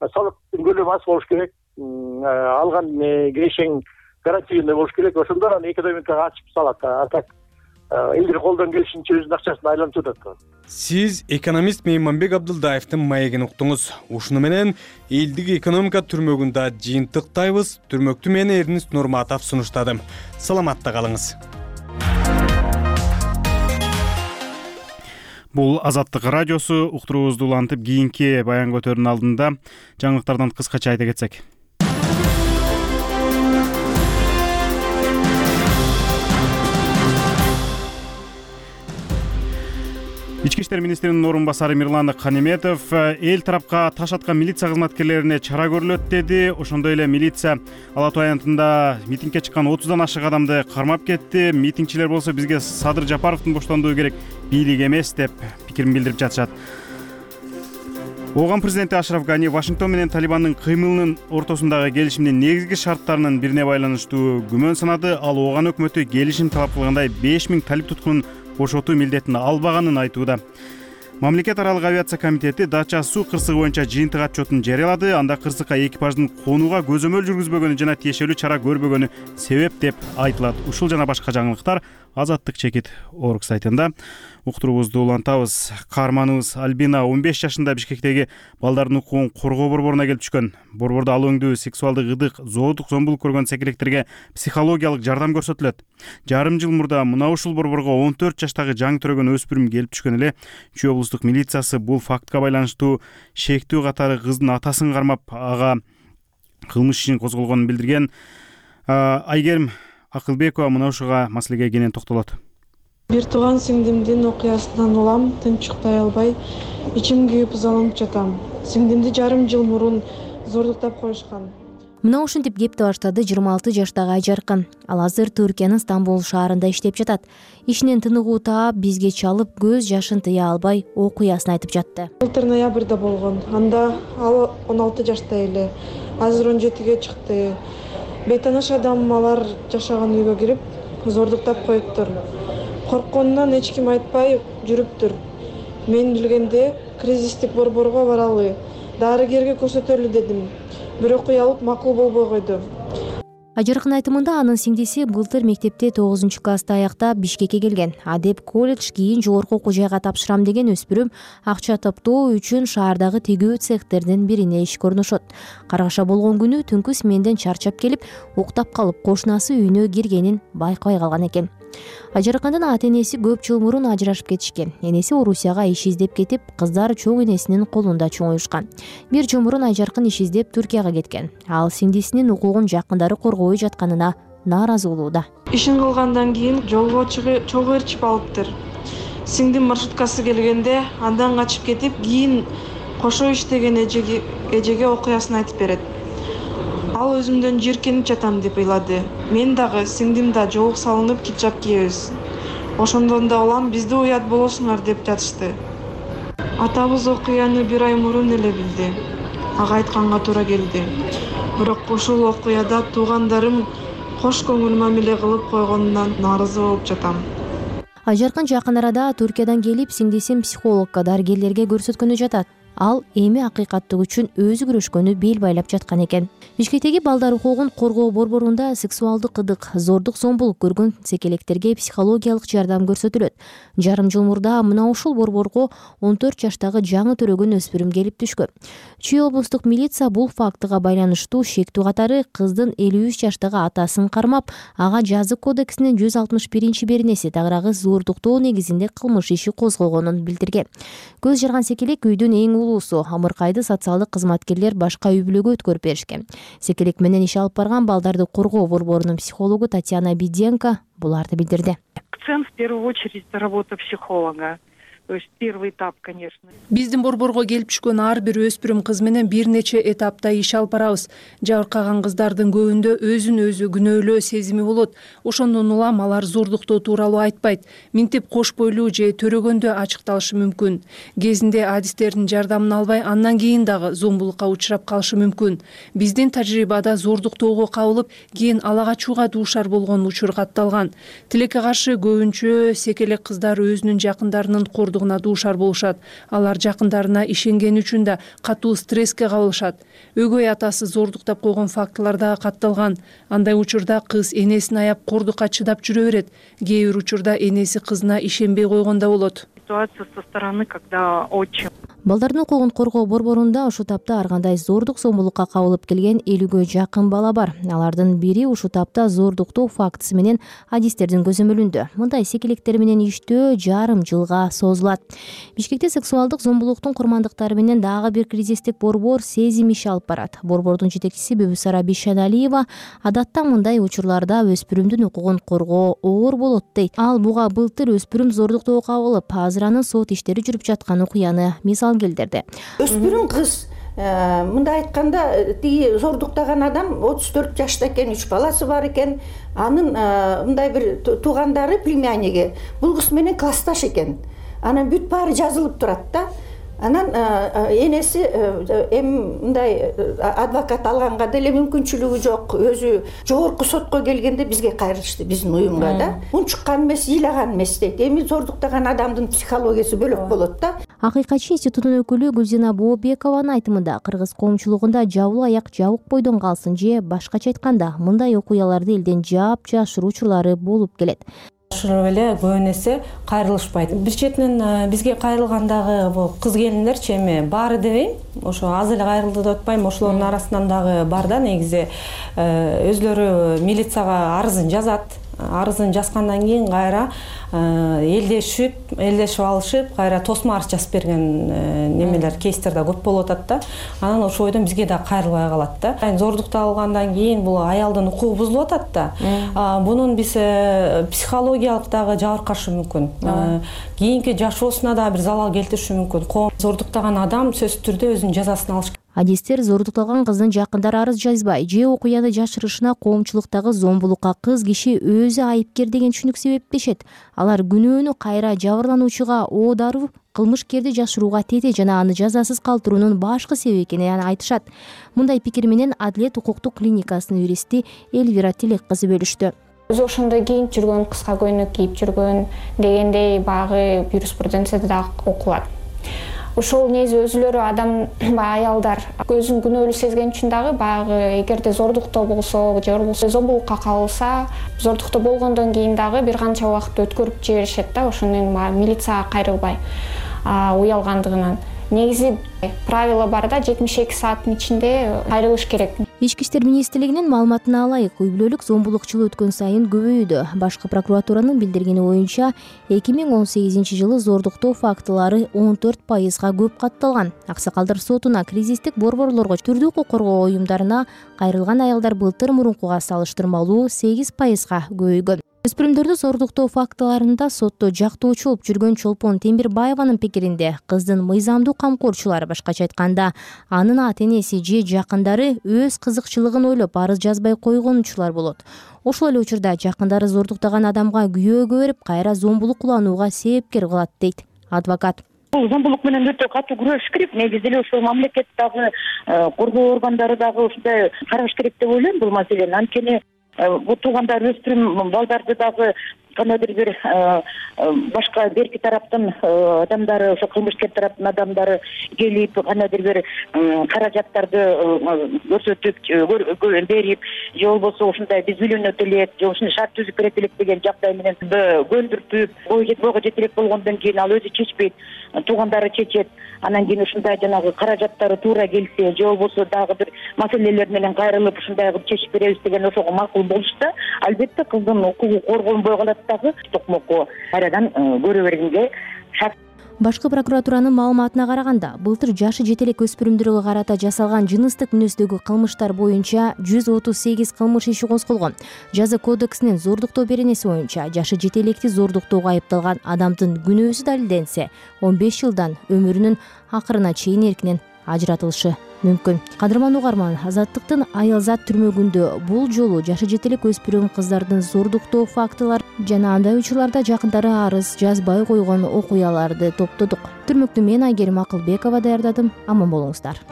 Салыктын көлөмү аз болуш керек. Алган кирешең гарантийный болуш керек. Ошондо анан экономикага ачып салат. А так элдер колдон келишинче өзүнүн акчасын айлантып атат. Сиз экономист Мейманбек Абдылдаевдин маегин уктуңуз. Ушуну менен элдик экономика түрмөгүндө жыйынтыктайбыз. Түрмөктү мен Эрнист Нурматов сунуштадым. Саламатта калыңыз. Бул Азаттык радиосу. Уктуруубузду улантып кийинки баян көтөрүүнүн алдында жаңылыктардан кыскача айта кетсек. Ички иштер министринин орун басары Мирлан Канеметов эл тарапка таш аткан милиция кызматкерлерине чара көрүлөт деди. Ошондой эле милиция Ала Тоо аянтында митингге чыккан 30дан ашык адамды кармап кетти. Митингчилер болсо бизге Садыр Жапаровдун боштондугу керек, бийлик эмес деп пикирин билдирип жатышат. Ооган президенти Ашраф Гани Вашингтон менен Талибандын кыймылынын ортосундагы келишимдин негизги шарттарынын бирине байланыштуу күмөн санады. Ал Ооган өкмөтү келишим талап кылгандай 5000 талип туткунун бошотуу милдетин албаганын айтууда. Мамлекет аралык авиация комитети Дача суу кырсыгы боюнча жыйынтык отчетун жарыялады. Анда кырсыкка экипаждын конууга көзөмөл жүргүзбөгөнү жана тиешелүү чара көрбөгөнү себеп деп айтылат. Ушул жана башка жаңылыктар Азаттык чекит орг сайтында. Уктуруубузду улантабыз. Каарманыбыз Альбина 15 жашында Бишкектеги балдардын укугун коргоо борборуна келип түшкөн. Борбордо ал өңдүү сексуалдык ыдык, зоодук зомбулук көргөн секилектерге психологиялык жардам көрсөтүлөт. Жарым жыл мурда мына ушул борборго 14 жаштагы жаңы төрөгөн өспүрүм келип түшкөн эле. Чүй облустук милициясы бул фактка байланыштуу шектүү катары кыздын атасын кармап, ага кылмыш ишин козголгонун билдирген. Айгерим Акылбекова мына ушуга маселеге кенен токтолот. Бир тууган сиңдимдин окуясынан улам, тынчыктай албай, ичим күйүп ызаланып жатам. Сиңдимди жарым жыл мурун зордуктап коюшкан. Мына ушинтип кепти баштады 26 жаштагы Айжаркын. Ал азыр Түркиянын Стамбул шаарында иштеп жатат. Ишинен тыныгуу таап, бизге чалып, көз жашын тыя албай окуясын айтып жатты. Былтыр ноябрда болгон. Анда ал 16 жашта эле. Азыр 17ге чыкты. Бейтаныш адам алар жашаган үйгө кирип, зордуктап коюптур. Коркконунан эч ким айтпай жүрүптүр. Мен билгенде кризистик борборго баралы, дарыгерге көрсөтөлү дедим. Бирок уялып макул болбой койду. Айжаркын айтымында анын сиңдиси былтыр мектепте 9-класста аяктап Бишкекке келген. Адеп колледж, кийин жогорку окуу жайга тапшырам деген өспүрүм акча топтоо үчүн шаардагы тегөө цехтердин бирине ишке орношот. Каргаша болгон күнү түнкү сменден чарчап келип, уктап калып кошунасы үйүнө киргенин байкабай калган экен. Айжаркындын ата-энеси көп жыл мурун ажырашып кетишкен. Энеси Орусияга иш издеп кетип, кыздар чоң энесинин колунда чоңуюшкан. Бир жыл мурун Айжаркын иш издеп Түркияга кеткен. Ал сиңдисинин укугун жакындары коргобой жатканына нааразы болууда. Ишин кылгандан кийин жолго чогуу ээрчип алыптыр. Сиңдим маршруткасы келгенде андан качып кетип, кийин кошо иштеген эжеге окуясын айтып берет. Ал өзүмдөн жийиркенип жатам деп ыйлады. Мен дагы, сиңдим да жоолук салынып хиджаб кийебиз. Ошондон да улам бизди уят болосуңар деп жатышты. Атабыз окуяны 1 ай мурун эле билди. Ага айтканга туура келди. Бирок ушул окуяда туугандарым кош көңүл мамиле кылып койгонунан нааразы болуп жатам. Айжаркын жакын арада Түркиядан келип, сиңдисин психологко, дарыгерлерге көрсөткөнү жатат. ал эми акыйкаттык үчүн өзү күрөшкөнү бел байлап жаткан экен. Бишкектеги балдар укугун коргоо борборунда сексуалдык ыдык, зордук, зомбулук көргөн секелектерге психологиялык жардам көрсөтүлөт. Жарым жыл мурда мына ушул борборго 14 жаштагы жаңы төрөгөн өспүрүм келип түшкөн. Чүй облустук милиция бул фактыга байланыштуу шектүү катары кыздын 53 жаштагы атасын кармап, ага жазык кодексинин 161 беренеси тагыраагы зордуктоо негизинде кылмыш иши козголгонун билдирген. Көз жарган секелек үйдүн эң улуусу, Амыркайды социалдык кызматкерлер башка үй бүлөгө өткөрүп беришкен. Секелек менен иш алып барган балдарды коргоо борборунун психологу Татьяна Биденко буларды билдирди. Акцент в первую очередь это работа психолога. То есть первый этап, конечно. Биздин борборго келип түшкөн ар бир өспүрүм кыз менен бир нече этапта иш алып барабыз. Жабыркаган кыздардын көбүндө өзүн өзү күнөөлөө сезими болот. Ошондон улам алар зордуктоо тууралуу айтпайт. Минтип кош бойлуу же төрөгөндө ачыкталышы мүмкүн. Кезинде адистердин жардамын албай, андан кийин дагы зомбулукка учурап калышы мүмкүн. Биздин тажрыйбада зордуктоого кабылып, кийин ала качууга дуушар болгон учур катталган. Тилекке каршы көбүнчө секелек кыздар өзүнүн жакындарынын дуушар болушат. Алар жакындарына ишенгени үчүн да катуу стресске кабылышат. Өгөй атасы зордуктап койгон фактылар да катталган. Андай учурда кыз энесин аяп кордукка чыдап жүрө берет. Кээ бир учурда энеси кызына ишенбей койгонда болот. Ситуация со стороны, когда отчим. Балдардын укугун коргоо борборунда ушул тапта ар кандай зордук, зомбулукка кабылып келген 50ге жакын бала бар. Алардын бири ушул тапта зордуктоо фактысы менен адистердин көзөмөлүндө. Мындай секелектер менен иштөө жарым жылга созулат. Бишкекте сексуалдык зомбулуктун курмандыктары менен дагы бир кризистик борбор сезим иш алып барат. Борбордун жетекчиси Бүбүсара Бишаналиева адатта мындай учурларда өспүрүмдүн укугун коргоо оор болот дейт. Ал буга былтыр өспүрүм зордуктоого кабылып, азыр анын сот иштери жүрүп жаткан окуяны мисал келтирди. Өспүрүм кыз мындай айтканда, тиги зордуктаган адам 34 жашта экен, 3 баласы бар экен. Анын мындай бир туугандары, племянниги бул кыз менен классташ экен. Анан бүт баары жазылып турат да. Анан энеси мындай адвокат алганга деле мүмкүнчүлүгү жок. Өзү жогорку сотко келгенде бизге кайрылышты, биздин уюмга да. Унчуккан эмес, ыйлаган эмес дейт. Эми зордуктаган адамдын психологиясы бөлөк болот да. Акыйкатчы институтунун өкүлү Гүлзина Бообекованын айтымында кыргыз коомчулугунда жабылуу аяк жабык бойдон калсын же башкача айтканда мындай окуяларды элден жаап жашыруу учурлары болуп келет. Ошол эле көбүн эсе кайрылышпайт. Бир четинен бизге кайрылгандагы бул кыз келиндерчи эми баары дебейм, ошо аз эле кайрылды деп атпайм, ошолордун арасынан дагы бар да, негизи өзлөрү милицияга арызын жазат. Арызын жазгандан кийин кайра элдешип алышып, кайра тосмо арыз жазып берген немелер, кейстер да көп болуп атат да. Анан ошол бойдон бизге да кайрылбай калат да. Зордукталгандан кийин бул аялдын укугу бузулуп атат да. Бунун биз психологиялык дагы жабыркашы мүмкүн. Кийинки жашоосуна да бир залал келтириши мүмкүн. Зордуктаган адам сөзсүз түрдө өзүнүн жазасын алыш. Адистер зордукталган кыздын жакындары арыз жазбай же окуяны жашырышына коомчулуктагы зомбулукка кыз киши өзү айыпкер деген түшүнүк себептешет. Алар күнөөнү кайра жабырлануучуга оодаруу, кылмышкерди жашырууга тете жана аны жазасыз калтыруунун башкы себеби экенин айтышат. Мындай пикир менен Адилет укуктук клиникасынын юристи Эльвира Тилек кызы бөлүштү. Өзү ошондой кийинип жүргөн, кыска көйнөк кийип жүргөн дегендей баягы юриспруденцияда да окулат. Ошол негизи өзүлөрү адам аялдар өзүн күнөөлүү сезген үчүн дагы баягы эгерде зордуктоо болсо же болбосо зомбулукка кабылса, зордуктоо болгондон кийин дагы бир канча убакыт өткөрүп жиберишет да, ошондон милицияга кайрылбай уялгандыгынан. Негизи правила бар да, 72 сааттын ичинде кайрылыш керек. Ички иштер министрлигинин маалыматына алайык, үй бүлөлүк зомбулук жылы өткөн сайын көбөйүүдө. Башкы прокуратуранын билдиргени боюнча 2018 жылы зордуктоо фактылары 14%га көп катталган. Аксакалдар сотуна, кризистик борборлорго, түрдүү укук коргоо уюмдарына кайрылган аялдар былтыр мурункуга салыштырмалуу 8%га көбөйгөн. Өспүрүмдөрдү зордуктоо фактыларында сотто жактоочу болуп жүргөн Чолпон Темирбаеванын пикиринде кыздын мыйзамдуу камкорчулары, башкача айтканда, анын ата-энеси же жакындары өз кызыкчылыгын ойлоп арыз жазбай койгон учурлар болот. Ошол эле учурда жакындары зордуктаган адамга күйөөгө берип, кайра зомбулук кыланууга себепкер кылат дейт адвокат. Зомбулук менен өтө катуу күрөшүш керек. Негизи эле ошол мамлекет дагы, коргоо органдары дагы ушундай караш керек деп ойлойм бул маселени. Анткени бул туугандар өспүрүм балдарды дагы кандайдыр бир башка берки тараптын адамдары, ошо кылмышкер тараптын адамдары келип кандайдыр бир каражаттарды көрсөтүп берип, же болбосо ушундай биз үйлөнөт элек, же ушундай шарт түзүп берет элек деген жагдай менен көндүртүп, бойго жете элек болгондон кийин ал өзү чечпейт, туугандары чечет. Анан кийин ушундай жанагы каражаттары туура келсе, же болбосо дагы бир маселелер менен кайрылып ушундай кылып чечип беребиз деген ошого макул болушта, албетте кыздын укугу корголбой калат дагы, токмокко кайрадан көрө бергенге шарт. Башкы прокуратуранын маалыматына караганда, былтыр жашы жете элек өспүрүмдөргө карата жасалган жыныстык мүнөздөгү кылмыштар боюнча 138 кылмыш иши козголгон. Жаза кодексинин зордуктоо беренеси боюнча жашы жете электи зордуктоого айыпталган адамдын күнөөсү далилденсе, 15 жылдан өмүрүнүн акырына чейин эркинен ажыратылышы мүмкүн. Кадырман угарман, Азаттыктын Аялзат түрмөгүндө бул жолу жашы жете элек өспүрүм кыздардын зордуктоо фактылар жана андай учурларда жакындары арыз жазбай койгон окуяларды топтодук. Түрмөктү мен Айгерим Акылбекова даярдадым. Аман болуңуздар.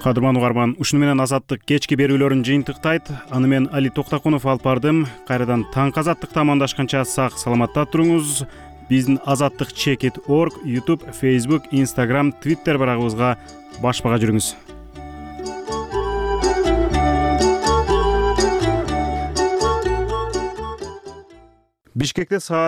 Кадырман угарман, ушуну менен Азаттык кечки берүүлөрүн жыйынтыктайт. Аны мен Али Токтакунов алып бардым. Кайрадан таңкы Азаттыкта амандашканча сак саламатта туруңуз. Биздин azattik.org, YouTube, Facebook, Instagram, Twitter барагыбызга баш-бага жүрүңүз. Бишкекте саат